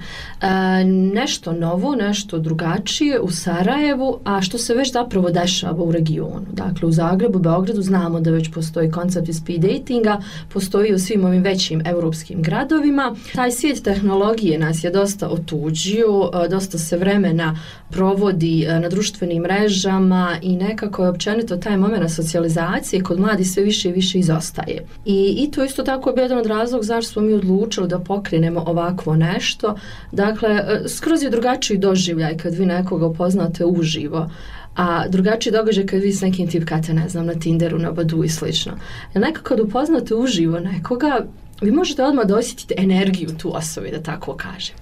E, nešto novo, nešto drugačije u Sarajevu, a što se već zapravo dešava u regionu. Dakle, u Zagrebu, Beogradu znamo da već postoji koncept speed datinga, postoji u svim ovim većim europskim gradovima. Taj svijet tehnologije nas je dosta otuđio, dosta se vremena provodi na društvenim mrežama i nekako je općenito taj moment socijalizacije kod mladih sve više i više izostaje. I, i to isto tako je bio jedan od razloga zašto smo mi odlučili da pokrenemo ovakvo nešto. Dakle, skroz je drugačiji doživljaj kad vi nekoga upoznate uživo, a drugačiji događaj kad vi s nekim tipkate, ne znam, na Tinderu, na Badu i slično. Jer nekako kad upoznate uživo nekoga, vi možete odmah da osjetite energiju tu osobe, da tako kažem.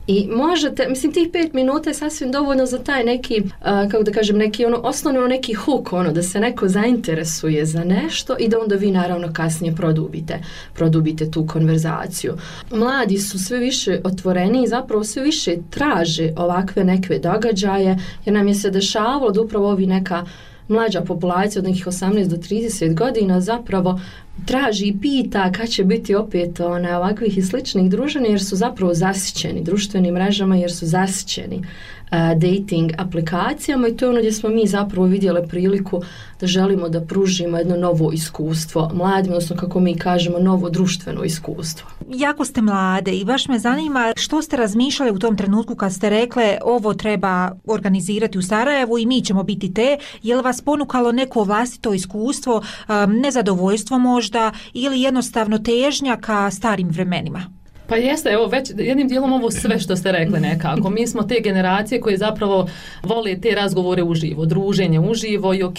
I možete, mislim, tih pet minuta je sasvim dovoljno za taj neki, uh, kako da kažem, neki ono, osnovno neki hook, ono, da se neko zainteresuje za nešto i da onda vi naravno kasnije produbite, produbite tu konverzaciju. Mladi su sve više otvoreni i zapravo sve više traže ovakve neke događaje, jer nam je se dešavalo da upravo ovi neka mlađa populacija od nekih osamnaest do trideset godina zapravo traži i pita kad će biti opet one, ovakvih i sličnih druženja, jer su zapravo zasićeni društvenim mrežama, jer su zasićeni uh, dating aplikacijama i to je ono gdje smo mi zapravo vidjeli priliku da želimo da pružimo jedno novo iskustvo mladim, odnosno kako mi kažemo novo društveno iskustvo. Jako ste mlade i baš me zanima što ste razmišljali u tom trenutku kad ste rekle ovo treba organizirati u Sarajevu i mi ćemo biti te, je li vas ponukalo neko vlastito iskustvo, um, nezadovoljstvo možda ili jednostavno težnja ka starim vremenima? Pa jeste, evo već jednim dijelom ovo sve što ste rekli nekako. Mi smo te generacije koje zapravo vole te razgovore uživo, druženje uživo i ok,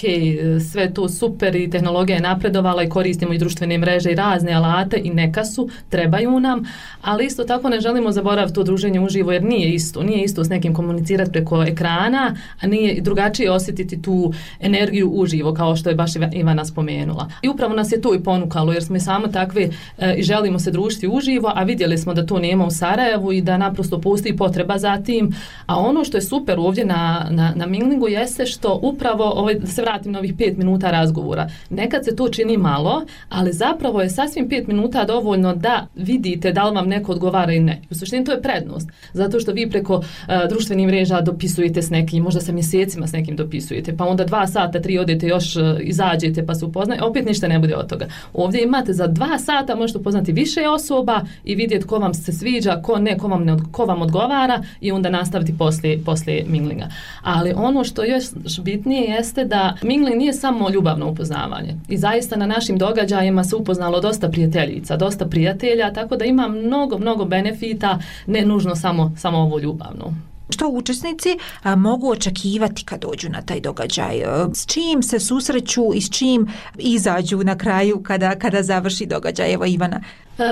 sve to super i tehnologija je napredovala i koristimo i društvene mreže i razne alate i neka su, trebaju nam, ali isto tako ne želimo zaboraviti to druženje uživo jer nije isto, nije isto s nekim komunicirati preko ekrana, a nije drugačije osjetiti tu energiju uživo kao što je baš Ivana spomenula. I upravo nas je to i ponukalo jer smo i samo takve e, i želimo se družiti uživo, a vidjeli smo da to nema u Sarajevu i da naprosto postoji potreba za tim. A ono što je super ovdje na, na, na minglingu jeste što upravo, ovaj, da se vratim na ovih pet minuta razgovora, nekad se to čini malo, ali zapravo je sasvim pet minuta dovoljno da vidite da li vam neko odgovara ili ne. U suštini to je prednost, zato što vi preko uh, društvenih mreža dopisujete s nekim, možda sa mjesecima s nekim dopisujete, pa onda dva sata, tri odete još uh, izađete pa se upoznaju, opet ništa ne bude od toga. Ovdje imate za dva sata možete upoznati više osoba i vidjeti ko vam se sviđa, ko ne, ko vam, ne, ko vam odgovara i onda nastaviti poslije, poslije minglinga. Ali ono što još bitnije jeste da mingling nije samo ljubavno upoznavanje. I zaista na našim događajima se upoznalo dosta prijateljica, dosta prijatelja, tako da ima mnogo, mnogo benefita, ne nužno samo, samo ovo ljubavno. Što učesnici a, mogu očekivati kad dođu na taj događaj? S čim se susreću i s čim izađu na kraju kada, kada završi događaj? Evo Ivana.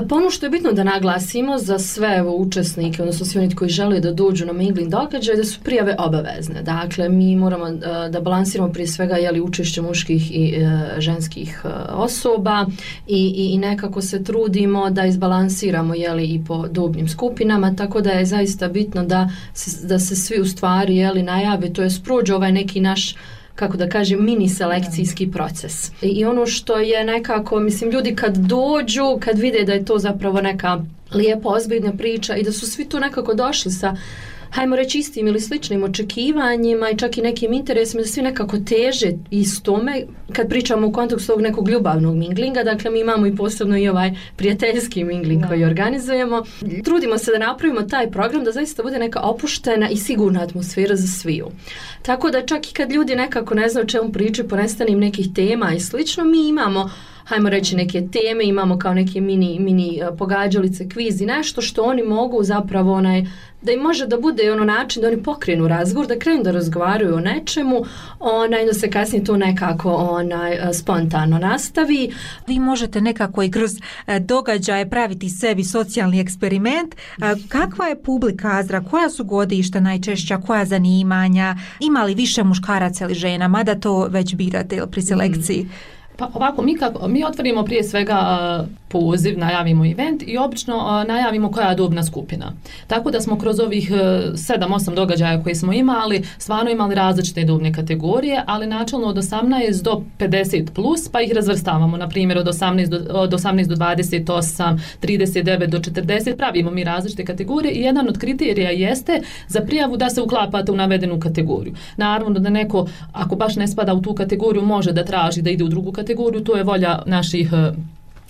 Pa ono što je bitno da naglasimo za sve evo, učesnike, odnosno svi oni koji žele da dođu na mingling događaj, da su prijave obavezne. Dakle, mi moramo uh, da balansiramo prije svega jeli, učešće muških i uh, ženskih uh, osoba i, i, i nekako se trudimo da izbalansiramo jeli, i po dobnim skupinama, tako da je zaista bitno da se, da se svi u stvari jeli, najave, to je prođe ovaj neki naš kako da kažem, mini selekcijski proces. I ono što je nekako, mislim, ljudi kad dođu, kad vide da je to zapravo neka lijepa, ozbiljna priča i da su svi tu nekako došli sa, hajmo reći, istim ili sličnim očekivanjima i čak i nekim interesima, da svi nekako teže istome, kad pričamo u kontekstu ovog nekog ljubavnog minglinga, dakle mi imamo i posebno i ovaj prijateljski mingling koji organizujemo. Trudimo se da napravimo taj program da zaista bude neka opuštena i sigurna atmosfera za sviju. Tako da čak i kad ljudi nekako ne znaju o čemu pričaju, ponestanim nekih tema i slično, mi imamo hajmo reći neke teme, imamo kao neke mini, mini pogađalice, kviz i nešto što oni mogu zapravo onaj, da im može da bude ono način da oni pokrenu razgovor, da krenu da razgovaraju o nečemu, onaj, da se kasnije to nekako onaj, spontano nastavi. Vi možete nekako i kroz događaje praviti sebi socijalni eksperiment. Kakva je publika Azra? Koja su godišta najčešća? Koja zanimanja? Ima li više muškaraca ili žena? Mada to već birate pri selekciji? Mm. Pa ovako, mi, kako, mi otvorimo prije svega uh, poziv, najavimo event i obično uh, najavimo koja je dobna skupina. Tako da smo kroz ovih sedam osam događaja koje smo imali, stvarno imali različite dobne kategorije, ali načelno od osamnaest do pedeset plus, pa ih razvrstavamo, na primjer od osamnaest do, od osamnaest do dvadeset osam, trideset devet do četrdeset, pravimo mi različite kategorije i jedan od kriterija jeste za prijavu da se uklapate u navedenu kategoriju. Naravno da neko, ako baš ne spada u tu kategoriju, može da traži da ide u drugu kategoriju, kategoriju, to je volja naših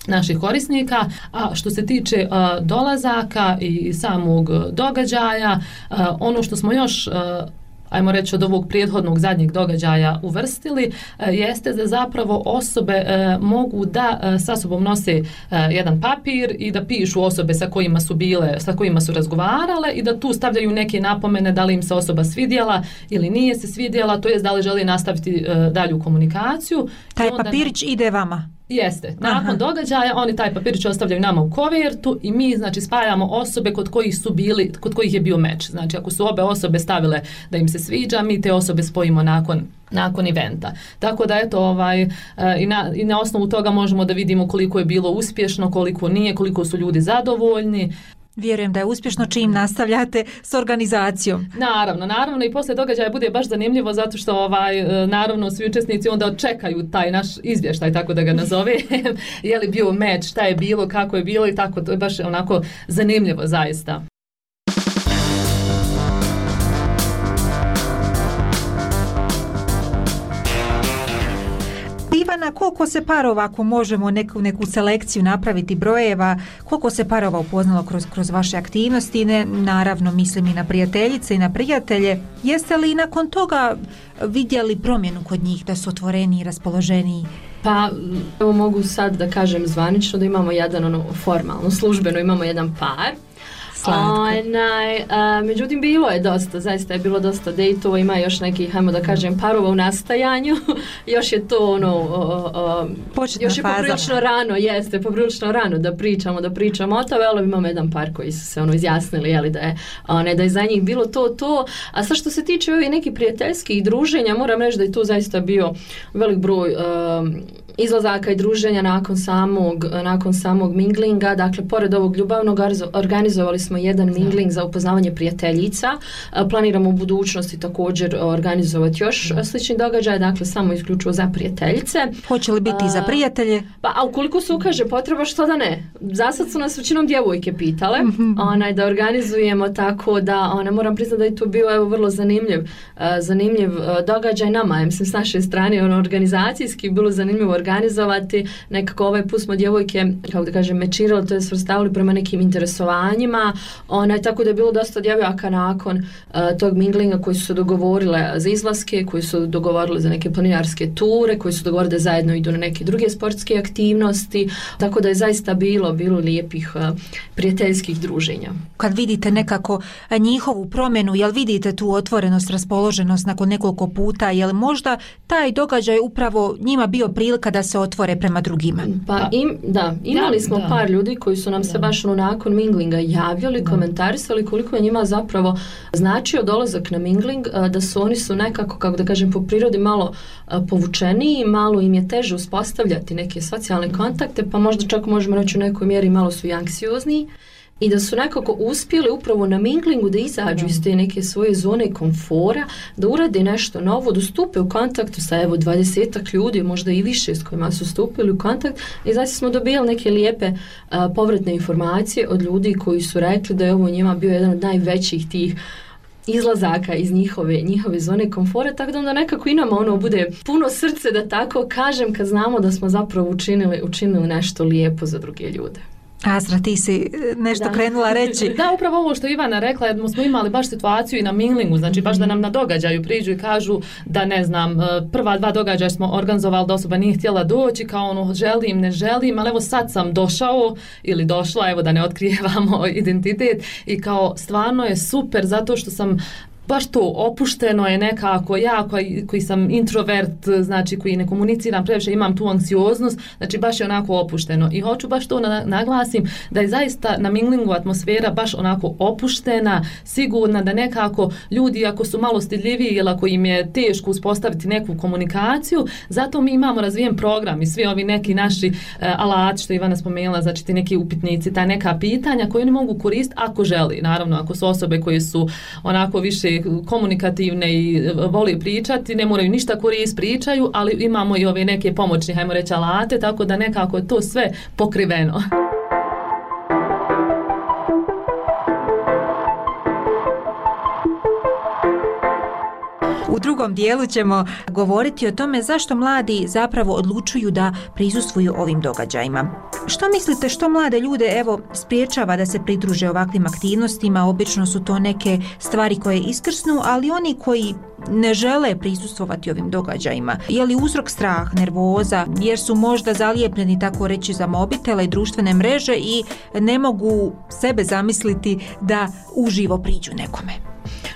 naših korisnika, a što se tiče uh, dolazaka i samog događaja, uh, ono što smo još uh, ajmo reći od ovog prethodnog zadnjeg događaja uvrstili, jeste da zapravo osobe e, mogu da e, sa sobom nose e, jedan papir i da pišu osobe sa kojima su bile, sa kojima su razgovarale i da tu stavljaju neke napomene da li im se osoba svidjela ili nije se svidjela, to jest da li želi nastaviti e, dalju komunikaciju. Taj onda, papirić ide vama? Jeste. Nakon Aha. događaja oni taj papirić ostavljaju nama u kovertu i mi znači spajamo osobe kod kojih su bili, kod kojih je bio meč. Znači ako su obe osobe stavile da im se sviđa, mi te osobe spojimo nakon nakon eventa. Tako da eto ovaj i na, i na osnovu toga možemo da vidimo koliko je bilo uspješno, koliko nije, koliko su ljudi zadovoljni. Vjerujem da je uspješno čim nastavljate s organizacijom. Naravno, naravno i poslije događaja bude baš zanimljivo zato što ovaj naravno svi učesnici onda čekaju taj naš izvještaj, tako da ga nazove. Je li bio meč, šta je bilo, kako je bilo i tako, to je baš onako zanimljivo zaista. Ivana, koliko se parova, ako možemo neku, neku selekciju napraviti brojeva, koliko se parova upoznalo kroz, kroz vaše aktivnosti, ne, naravno mislim i na prijateljice i na prijatelje, jeste li nakon toga vidjeli promjenu kod njih, da su otvoreni i raspoloženiji? Pa, evo mogu sad da kažem zvanično da imamo jedan, ono, formalno, službeno imamo jedan par. Onaj, a, međutim bilo je dosta, zaista je bilo dosta dejtova, ima još nekih, hajmo da kažem, parova u nastajanju, još je to ono, o, o, još je poprilično rano, jeste, poprilično rano da pričamo, da pričamo o tome, ali imamo jedan par koji su se ono izjasnili, jeli, da je, one, da je za njih bilo to, to, a sad što se tiče ovih nekih prijateljskih druženja, moram reći da je tu zaista bio velik broj um, izlazaka i druženja nakon samog, nakon samog minglinga, dakle, pored ovog ljubavnog organizovali smo jedan mingling za upoznavanje prijateljica, planiramo u budućnosti također organizovati još slični događaj, dakle, samo isključivo za prijateljice. Hoće li biti i za prijatelje? Pa, a ukoliko se ukaže potreba, što da ne? Zasad su nas većinom djevojke pitale, onaj, da organizujemo, tako da, ona, moram priznati da je to bio, evo, vrlo zanimljiv, zanimljiv događaj nama, mislim, s naše strane, ono, organizacijski bilo zanimljivo organizovati, nekako ovaj put smo djevojke, kako da kažem, mečirali, to je svrstavili prema nekim interesovanjima, onaj, tako da je bilo dosta djevojaka nakon uh, tog minglinga koji su se dogovorile za izlaske, koji su dogovorile za neke planinarske ture, koji su dogovorile da zajedno idu na neke druge sportske aktivnosti, tako da je zaista bilo, bilo lijepih uh, prijateljskih druženja. Kad vidite nekako njihovu promjenu, jel vidite tu otvorenost, raspoloženost nakon nekoliko puta, jel možda taj događaj upravo njima bio prilika da se otvore prema drugima? Pa im, da, imali da, smo da. par ljudi koji su nam da. se baš ono nakon minglinga javljali, da. komentarisali koliko je njima zapravo značio dolazak na mingling, da su oni su nekako, kako da kažem, po prirodi malo povučeniji, malo im je teže uspostavljati neke socijalne kontakte, pa možda čak možemo reći u nekoj mjeri malo su i anksiozniji. I da su nekako uspjeli upravo na minglingu da izađu iz te neke svoje zone komfora, da urade nešto novo, da stupe u kontaktu sa evo dvadesetak ljudi, možda i više s kojima su stupili u kontakt, i znači smo dobijali neke lijepe a, povratne informacije od ljudi koji su rekli da je ovo njima bio jedan od najvećih tih izlazaka iz njihove, njihove zone komfora, tako da onda nekako i nama ono bude puno srce, da tako kažem, kad znamo da smo zapravo učinili, učinili nešto lijepo za druge ljude. Azra, ti si nešto da. krenula reći. Da, upravo ovo što Ivana rekla, jer smo imali baš situaciju i na minglingu, znači baš da nam na događaju priđu i kažu da, ne znam, prva dva događaja smo organizovali da osoba nije htjela doći, kao ono želim, ne želim, ali evo sad sam došao ili došla, evo da ne otkrijevamo identitet, i kao stvarno je super zato što sam baš to opušteno je nekako, ja koji, koji sam introvert, znači koji ne komuniciram previše, imam tu anksioznost, znači baš je onako opušteno. I hoću baš to na, naglasim da je zaista na minglingu atmosfera baš onako opuštena, sigurna, da nekako ljudi ako su malo stidljiviji ili ako im je teško uspostaviti neku komunikaciju, zato mi imamo razvijen program i svi ovi neki naši uh, alati što Ivana spomenula, znači ti neki upitnici, ta neka pitanja koje oni mogu koristiti ako želi. Naravno, ako su osobe koje su onako više komunikativne i voli pričati, ne moraju ništa koristiti, pričaju, ali imamo i ove neke pomoćne, hajmo reći, alate, tako da nekako je to sve pokriveno. U drugom dijelu ćemo govoriti o tome zašto mladi zapravo odlučuju da prisustvuju ovim događajima. Što mislite, što mlade ljude evo spriječava da se pridruže ovakvim aktivnostima? Obično su to neke stvari koje iskrsnu, ali oni koji ne žele prisustvovati ovim događajima. Je li uzrok strah, nervoza, jer su možda zalijepljeni, tako reći, za mobitele i društvene mreže i ne mogu sebe zamisliti da uživo priđu nekome?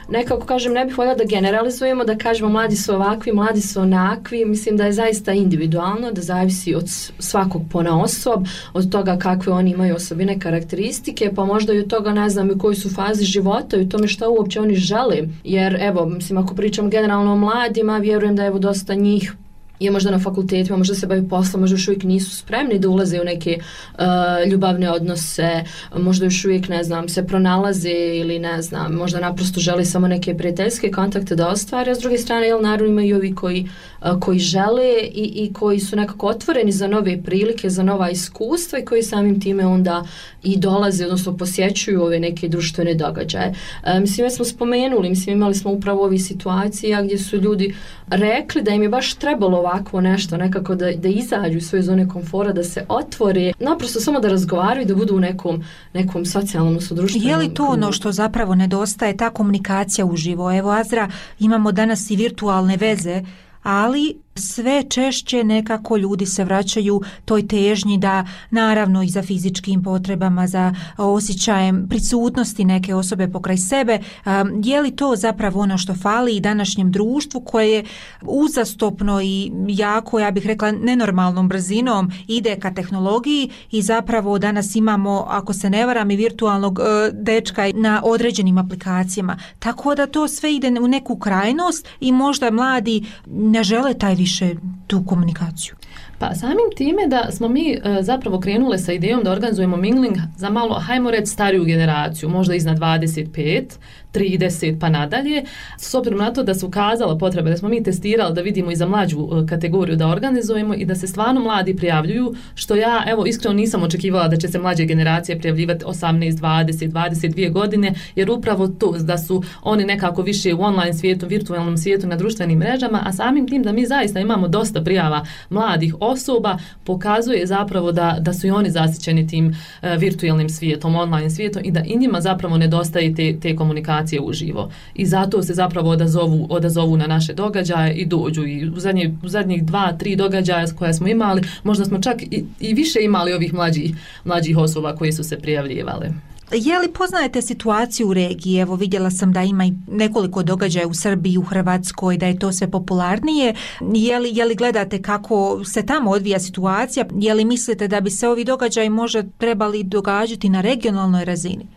nekako kažem, ne bih voljela da generalizujemo, da kažemo mladi su ovakvi, mladi su onakvi, mislim da je zaista individualno, da zavisi od svakog ponaosob, od toga kakve oni imaju osobine, karakteristike, pa možda i od toga ne znam u kojoj su fazi života i u tome šta uopće oni žele, jer evo, mislim, ako pričam generalno o mladima, vjerujem da evo dosta njih je možda na fakultetima, možda se bavi poslom, možda još uvijek nisu spremni da ulaze u neke uh, ljubavne odnose, možda još uvijek, ne znam, se pronalaze ili ne znam, možda naprosto želi samo neke prijateljske kontakte da ostvare, a s druge strane, jel, naravno ima i ovi koji, uh, koji žele i, i koji su nekako otvoreni za nove prilike, za nova iskustva i koji samim time onda i dolaze, odnosno posjećuju ove neke društvene događaje. Uh, mislim, već smo spomenuli, mislim, imali smo upravo ovih situacija gdje su ljudi rekli da im je baš trebalo ovakvo nešto, nekako da, da izađu iz svoje zone komfora, da se otvore, naprosto samo da razgovaraju i da budu u nekom, nekom socijalnom sudruštvenom. Je li to ono što zapravo nedostaje, ta komunikacija uživo? Evo, Azra, imamo danas i virtualne veze, ali sve češće nekako ljudi se vraćaju toj težnji da, naravno i za fizičkim potrebama, za osjećajem prisutnosti neke osobe pokraj sebe, um, je li to zapravo ono što fali i današnjem društvu koje je uzastopno i jako, ja bih rekla, nenormalnom brzinom ide ka tehnologiji i zapravo danas imamo, ako se ne varam, i virtualnog uh, dečka na određenim aplikacijama. Tako da to sve ide u neku krajnost i možda mladi ne žele taj više tu komunikaciju. Pa samim time da smo mi e, zapravo krenule sa idejom da organizujemo mingling za malo, hajmo reći, stariju generaciju, možda iznad dvadeset pet, trideset pa nadalje, s obzirom na to da se ukazala potreba, da smo mi testirali da vidimo i za mlađu e, kategoriju da organizujemo i da se stvarno mladi prijavljuju, što ja, evo, iskreno nisam očekivala da će se mlađe generacije prijavljivati osamnaest, dvadeset, dvadeset dvije godine, jer upravo to da su oni nekako više u online svijetu, virtualnom svijetu, na društvenim mrežama, a samim tim da mi zaista imamo dosta prijava mladih osoba, pokazuje zapravo da, da su i oni zasićeni tim uh, virtualnim svijetom, online svijetom i da i njima zapravo nedostaje te, te komunikacije uživo. I zato se zapravo odazovu, odazovu na naše događaje i dođu. I u, zadnje, u zadnjih dva, tri događaja koje smo imali, možda smo čak i, i više imali ovih mlađih, mlađih osoba koji su se prijavljivale. Je li poznajete situaciju u regiji? Evo, vidjela sam da ima i nekoliko događaja u Srbiji, u Hrvatskoj, da je to sve popularnije. Je li, je li gledate kako se tamo odvija situacija? Je li mislite da bi se ovi događaji možda trebali događati na regionalnoj razini?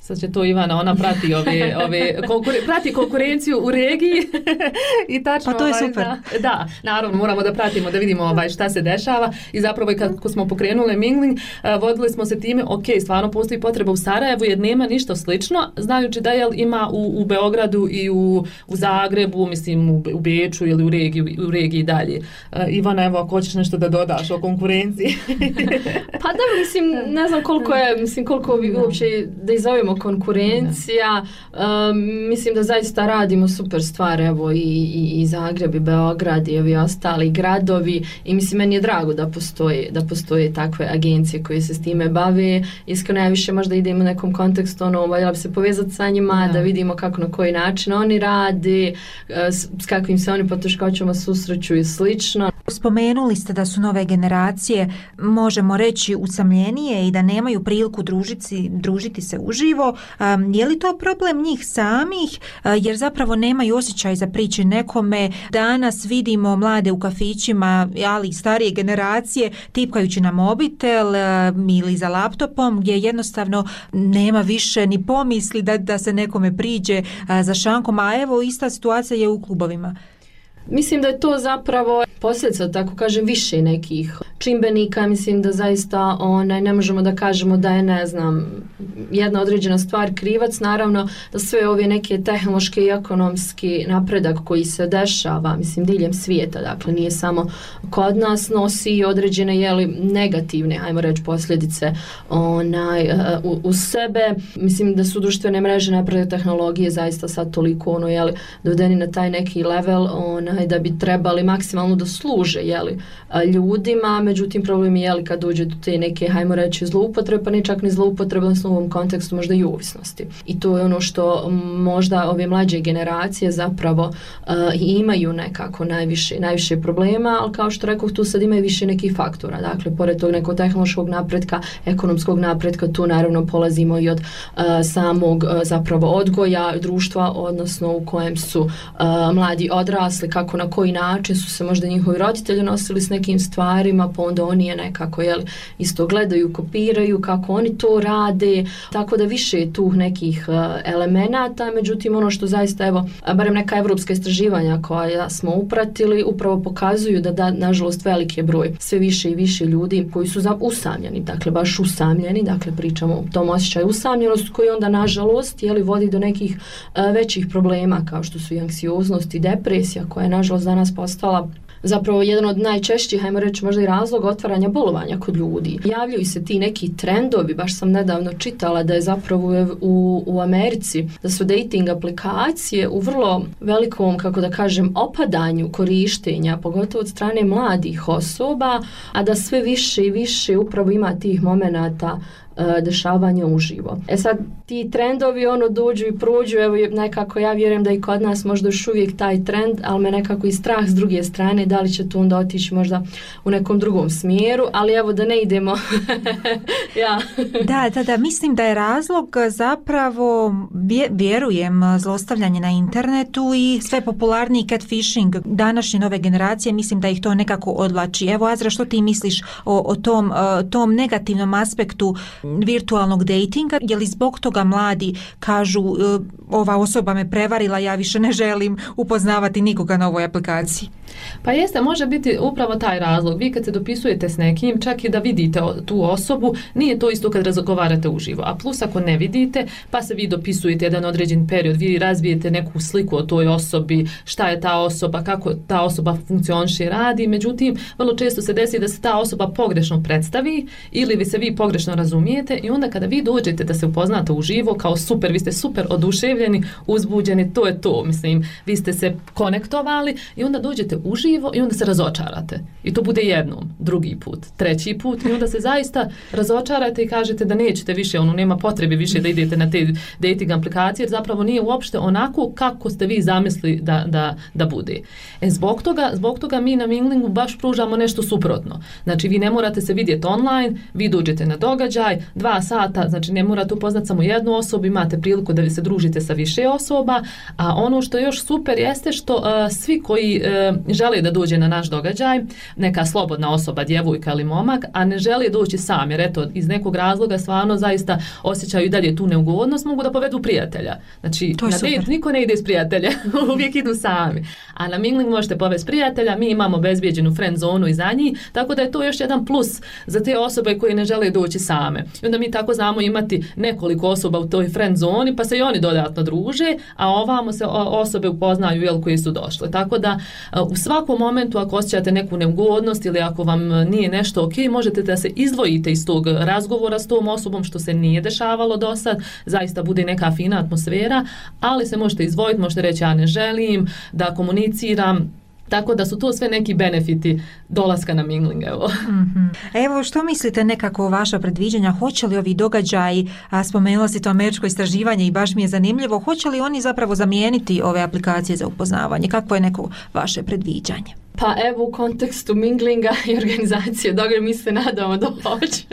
Sad će to Ivana, ona prati ove, ove konkure, prati konkurenciju u regiji i tačno, pa to je ovaj, super. Da, da, naravno moramo da pratimo, da vidimo ovaj, šta se dešava i zapravo i kako smo pokrenuli mingling, uh, vodili smo se time, ok, stvarno postoji potreba u Sarajevu jer nema ništa slično, znajući da jel, ima u, u Beogradu i u, u Zagrebu, mislim u, u Beču ili u regiji, u regiji dalje. Uh, Ivana, evo, ako hoćeš nešto da dodaš o konkurenciji. Pa da, mislim, ne znam koliko je, mislim, koliko bi uopće da izovemo konkurencija, um, mislim da zaista radimo super stvar, evo i, i, i Zagreb i Beograd i ovi ostali gradovi i mislim meni je drago da postoje, da postoje takve agencije koje se s time bave. Iskreno ja više možda idemo u nekom kontekstu, ono, voljela bi se povezati sa njima, da. da vidimo kako, na koji način oni rade, s, s kakvim se oni poteškoćama susreću i slično. Spomenuli ste da su nove generacije, možemo reći, usamljenije i da nemaju priliku družiti, družiti se uživo. Um, je li to problem njih samih, uh, jer zapravo nemaju osjećaj za priče nekome? Danas vidimo mlade u kafićima, ali i starije generacije, tipkajući na mobitel uh, ili za laptopom, gdje jednostavno nema više ni pomisli da, da se nekome priđe uh, za šankom, a evo ista situacija je u klubovima. Mislim da je to zapravo posljedica, tako kažem, više nekih čimbenika. Mislim da zaista onaj, ne možemo da kažemo da je, ne znam, jedna određena stvar krivac. Naravno da sve ove neke tehnološke i ekonomski napredak koji se dešava, mislim, diljem svijeta, dakle nije samo kod nas, nosi određene, jeli, negativne, hajmo reći, posljedice onaj, u, u sebe. Mislim da su društvene mreže, napredak tehnologije zaista sad toliko ono, jeli, dovedeni na taj neki level onaj, da bi trebali maksimalno da služe, jeli, ljudima. međutim problem je li kad dođe do te neke, hajmo reći, zloupotrebe, pa ne čak ni zloupotrebe, odnosno u ovom kontekstu možda i ovisnosti. I to je ono što možda ove mlađe generacije zapravo uh, imaju nekako najviše, najviše problema, ali kao što rekao, tu sad imaju više nekih faktora. Dakle, pored tog nekog tehnološkog napretka, ekonomskog napretka, tu naravno polazimo i od uh, samog uh, zapravo odgoja društva, odnosno u kojem su uh, mladi odrasli, kako na koji način su se možda njihovi roditelji nosili s nekim stvarima, pa onda oni je nekako jel, isto gledaju, kopiraju kako oni to rade, tako da više je tu nekih uh, elemenata, međutim ono što zaista, evo, barem neka evropska istraživanja koja smo upratili, upravo pokazuju da, da nažalost veliki je broj sve više i više ljudi koji su za, usamljeni, dakle baš usamljeni, dakle pričamo o tom osjećaju usamljenosti koji onda nažalost jeli, vodi do nekih uh, većih problema kao što su i anksioznost i depresija koja je nažalost danas postala zapravo jedan od najčešćih, hajmo reći, možda i razloga otvaranja bolovanja kod ljudi. Javljaju se ti neki trendovi, baš sam nedavno čitala da je zapravo u, u Americi, da su dating aplikacije u vrlo velikom, kako da kažem, opadanju korištenja, pogotovo od strane mladih osoba, a da sve više i više upravo ima tih momenata dešavanja uživo. E sad, ti trendovi ono dođu i prođu, evo nekako ja vjerujem da i kod nas možda još uvijek taj trend, ali me nekako i strah s druge strane, da li će to onda otići možda u nekom drugom smjeru, ali evo da ne idemo. ja. Da, da, da, mislim da je razlog zapravo, vjerujem, zlostavljanje na internetu i sve popularniji catfishing današnje nove generacije, mislim da ih to nekako odvlači. Evo, Azra, što ti misliš o, o tom, tom negativnom aspektu virtualnog datinga, je li zbog toga mladi kažu ova osoba me prevarila, ja više ne želim upoznavati nikoga na ovoj aplikaciji? Pa jeste, može biti upravo taj razlog. Vi kad se dopisujete s nekim, čak i da vidite tu osobu, nije to isto kad razgovarate uživo. A plus ako ne vidite, pa se vi dopisujete jedan određen period, vi razvijete neku sliku o toj osobi, šta je ta osoba, kako ta osoba funkcioniše i radi. Međutim, vrlo često se desi da se ta osoba pogrešno predstavi ili vi se vi pogrešno razumijete i onda kada vi dođete da se upoznate uživo kao super, vi ste super oduševljeni, uzbuđeni, to je to. Mislim, vi ste se konektovali i onda dođete uživo i onda se razočarate. I to bude jednom, drugi put, treći put i onda se zaista razočarate i kažete da nećete više, ono nema potrebe više da idete na te dating aplikacije jer zapravo nije uopšte onako kako ste vi zamislili da, da, da bude. E, zbog toga, zbog toga mi na Minglingu baš pružamo nešto suprotno. Znači vi ne morate se vidjeti online, vi dođete na događaj, dva sata, znači ne morate upoznati samo jednu osobu, imate priliku da vi se družite sa više osoba, a ono što je još super jeste što uh, svi koji uh, žele da dođe na naš događaj, neka slobodna osoba, djevojka ili momak, a ne žele doći sam, jer eto, iz nekog razloga stvarno zaista osjećaju i dalje tu neugodnost, mogu da povedu prijatelja. Znači, na dejt niko ne ide s prijatelja, uvijek idu sami. A na Mingling možete povesti prijatelja, mi imamo bezbjeđenu friend zonu iza njih, tako da je to još jedan plus za te osobe koje ne žele doći same. I onda mi tako znamo imati nekoliko osoba u toj friend zoni, pa se i oni dodatno druže, a ovamo se osobe upoznaju jel, koji su došle. Tako da u svakom momentu ako osjećate neku neugodnost ili ako vam nije nešto ok, možete da se izdvojite iz tog razgovora s tom osobom što se nije dešavalo do sad, zaista bude neka fina atmosfera, ali se možete izdvojiti, možete reći ja ne želim da komuniciram. Tako da su to sve neki benefiti dolaska na Mingling. Evo. Mm-hmm. Evo, što mislite nekako vaša predviđanja? Hoće li ovi događaji, a spomenula si to američko istraživanje i baš mi je zanimljivo, hoće li oni zapravo zamijeniti ove aplikacije za upoznavanje? Kakvo je neko vaše predviđanje? Pa evo u kontekstu Minglinga i organizacije događaja mi se nadamo da hoće.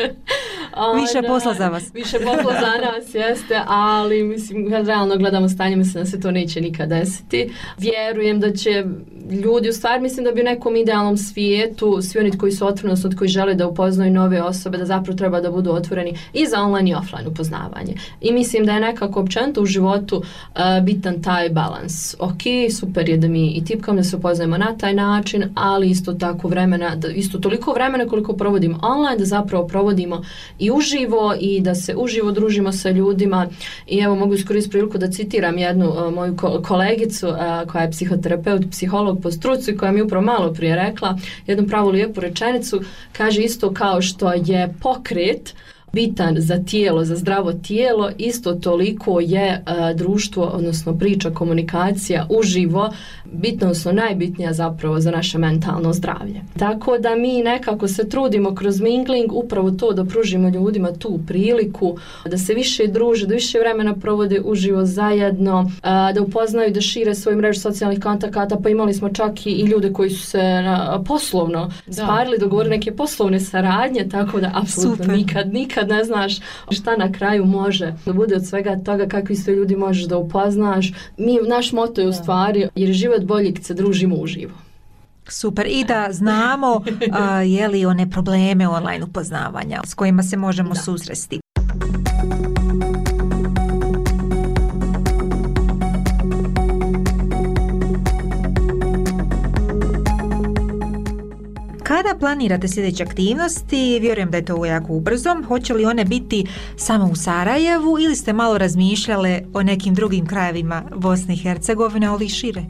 Više posla za vas. Više posla za nas, jeste, ali mislim, kad realno gledamo stanje, mislim da se to neće nikad desiti. Vjerujem da će ljudi, u stvari mislim da bi u nekom idealnom svijetu, svi oni koji su otvoreni, odnosno koji žele da upoznaju nove osobe, da zapravo treba da budu otvoreni i za online i offline upoznavanje. I mislim da je nekako općenito u životu uh, bitan taj balans. Ok, super je da mi i tipkamo da se upoznajemo na taj način, ali isto tako vremena, da isto toliko vremena koliko provodimo online, da zapravo provodimo i uživo i da se uživo družimo sa ljudima. I evo mogu iskoristiti priliku da citiram jednu uh, moju ko- kolegicu uh, koja je psihoterapeut, psiholog po struci, koja mi upravo malo prije rekla jednu pravu lijepu rečenicu, kaže isto kao što je pokret bitan za tijelo, za zdravo tijelo, isto toliko je uh, društvo, odnosno priča, komunikacija uživo bitno, odnosno najbitnija zapravo za naše mentalno zdravlje. Tako da mi nekako se trudimo kroz mingling upravo to da pružimo ljudima tu priliku da se više druže, da više vremena provode uživo zajedno, uh, da upoznaju, da šire svoju mrežu socijalnih kontakata, pa imali smo čak i, i ljude koji su se uh, poslovno da. sparili, dogovorili neke poslovne saradnje, tako da apsolutno nikad, nikad ne znaš šta na kraju može da bude od svega toga, kakvi sve ljudi možeš da upoznaš. Mi, naš moto je u stvari, jer je život bolji kad se družimo uživo. Super, i da znamo uh, je li one probleme online upoznavanja s kojima se možemo da. susresti. Kada planirate sljedeće aktivnosti, vjerujem da je to jako ubrzo, hoće li one biti samo u Sarajevu ili ste malo razmišljale o nekim drugim krajevima Bosne i Hercegovine, ali i šire?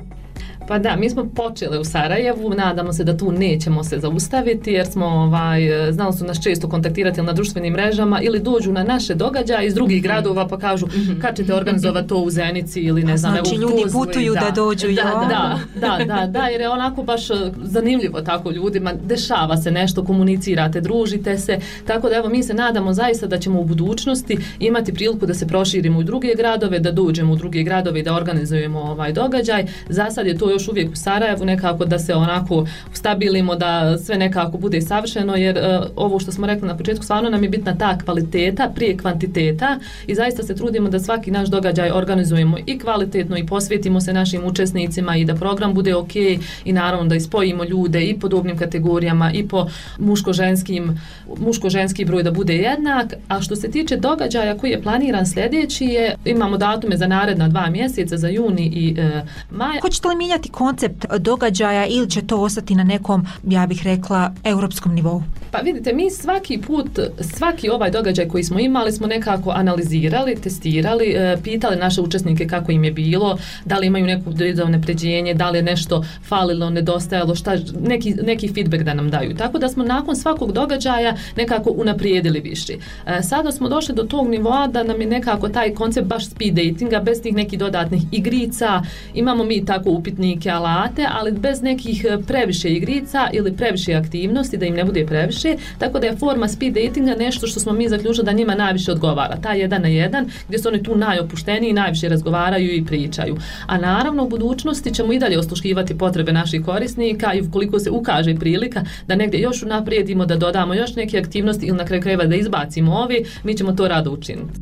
Pa da, mi smo počeli u Sarajevu, nadamo se da tu nećemo se zaustaviti jer smo, ovaj, znali su nas često kontaktirati na društvenim mrežama ili dođu na naše događaje iz drugih mm-hmm. gradova pa kažu mm-hmm. kad ćete organizovati to u Zenici ili ne znam, znači, evo u ljudi putuju da, da dođu. Da, da, da, da, da, jer je onako baš zanimljivo tako ljudima, dešava se nešto, komunicirate, družite se, tako da evo mi se nadamo zaista da ćemo u budućnosti imati priliku da se proširimo u druge gradove, da dođemo u druge gradove i da organizujemo ovaj događaj. Za sad je to još uvijek u Sarajevu, nekako da se onako stabilimo, da sve nekako bude savršeno, jer uh, ovo što smo rekli na početku, stvarno nam je bitna ta kvaliteta prije kvantiteta i zaista se trudimo da svaki naš događaj organizujemo i kvalitetno i posvetimo se našim učesnicima i da program bude ok i naravno da ispojimo ljude i po dobnim kategorijama i po muško-ženskim, muško-ženski broj da bude jednak. A što se tiče događaja koji je planiran sljedeći je, imamo datume za naredna dva mjeseca, za juni i uh, maj. Hoćete li mijenjati koncept događaja ili će to ostati na nekom, ja bih rekla, europskom nivou? Pa vidite, mi svaki put, svaki ovaj događaj koji smo imali smo nekako analizirali, testirali, e, pitali naše učesnike kako im je bilo, da li imaju neku unapređenje, da li je nešto falilo, nedostajalo, šta, neki, neki feedback da nam daju. Tako da smo nakon svakog događaja nekako unaprijedili više. E, sada smo došli do tog nivoa da nam je nekako taj koncept baš speed datinga, bez tih nekih dodatnih igrica, imamo mi tako upitnike, alate, ali bez nekih previše igrica ili previše aktivnosti, da im ne bude previše, tako da je forma speed datinga nešto što smo mi zaključili da njima najviše odgovara. Ta jedan na jedan, gdje su oni tu najopušteniji, najviše razgovaraju i pričaju. A naravno u budućnosti ćemo i dalje osluškivati potrebe naših korisnika i ukoliko se ukaže prilika da negdje još unaprijedimo, da dodamo još neke aktivnosti ili na kraju krajeva da izbacimo ovi, mi ćemo to rado učiniti.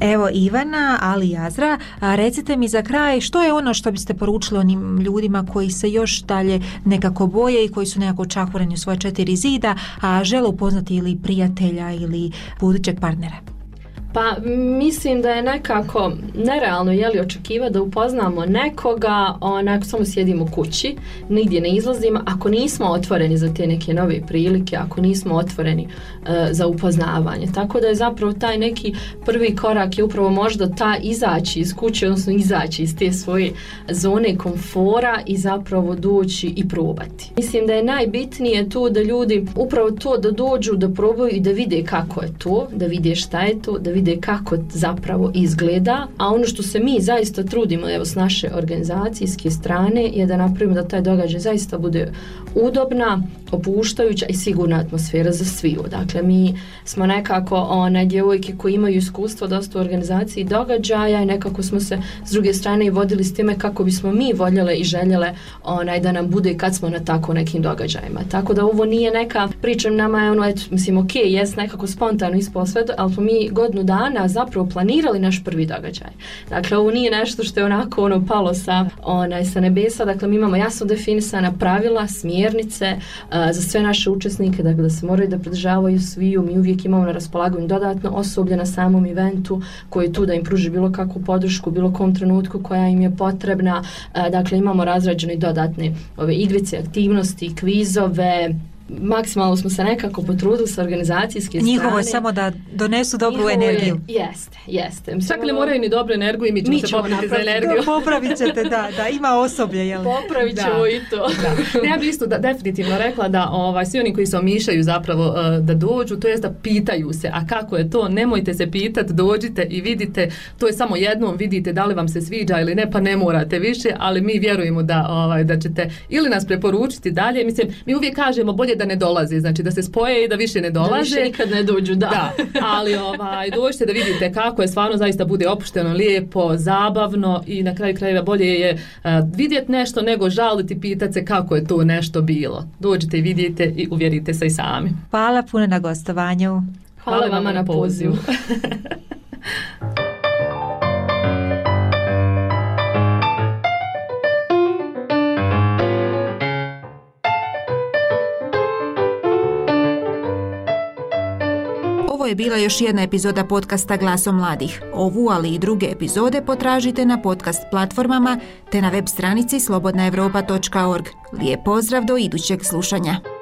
Evo Ivana, ali i Azra, recite mi za kraj što je ono što biste poručili onim ljudima koji se još dalje nekako boje i koji su nekako čahureni u svoje četiri zida, a žele upoznati ili prijatelja ili budućeg partnera? Pa mislim da je nekako nerealno jeli očekivati da upoznamo nekoga, onako samo sjedimo kući, nigdje ne izlazimo, ako nismo otvoreni za te neke nove prilike, ako nismo otvoreni uh, za upoznavanje. Tako da je zapravo taj neki prvi korak je upravo možda ta izaći iz kuće, odnosno izaći iz te svoje zone komfora i zapravo doći i probati. Mislim da je najbitnije tu da ljudi upravo to da dođu, da probaju i da vide kako je to, da vide šta je to, da vide kako zapravo izgleda, a ono što se mi zaista trudimo evo s naše organizacijske strane je da napravimo da taj događaj zaista bude udobna, opuštajuća i sigurna atmosfera za sviju. Dakle, mi smo nekako one djevojke koji imaju iskustvo dosta u organizaciji događaja i nekako smo se s druge strane i vodili s time kako bismo mi voljele i željele onaj da nam bude kad smo na tako nekim događajima. Tako da ovo nije neka priča nama je ono, eto, mislim, ok, jes nekako spontano ispalo sve, ali smo mi godinu dana zapravo planirali naš prvi događaj. Dakle, ovo nije nešto što je onako ono palo sa, onaj, sa nebesa, dakle mi imamo jasno definisana pravila, smjernice uh, za sve naše učesnike, dakle da se moraju da pridržavaju sviju, mi uvijek imamo na raspolaganju dodatno osoblje na samom eventu koji je tu da im pruži bilo kakvu podršku, bilo kom trenutku koja im je potrebna, uh, dakle imamo razrađene dodatne ove igrice, aktivnosti, kvizove, maksimalno smo se nekako potrudili sa organizacijske strane. Njihovo je samo da donesu dobru Njihovo energiju. Je, jeste, jeste. Čak ne moraju ni dobru energiju i mi ćemo, mi ćemo se popraviti za energiju. Popravit ćete, da, da, ima osoblje, jel? Popravit ćemo da. I to. Da. Ja bih isto da, definitivno rekla da ovaj, svi oni koji se omišljaju zapravo uh, da dođu, to jest da pitaju se, a kako je to, nemojte se pitati, dođite i vidite, to je samo jednom, vidite da li vam se sviđa ili ne, pa ne morate više, ali mi vjerujemo da, ovaj, da ćete ili nas preporučiti dalje. Mislim, mi uvijek kažemo bolje da ne dolaze, znači da se spoje i da više ne dolaze. Da više nikad ne dođu, da. da. Ali ovaj, dođite da vidite kako je, stvarno zaista bude opušteno, lijepo, zabavno i na kraju krajeva bolje je uh, vidjeti nešto nego žaliti, pitati se kako je to nešto bilo. Dođite i vidite i uvjerite se i sami. Hvala puno na gostovanju. Hvala, Hvala vama na pozivu. Ovo je bila još jedna epizoda podcasta Glasom mladih. Ovu, ali i druge epizode potražite na podcast platformama te na web stranici slobodna europa točka org. Lijep pozdrav do idućeg slušanja.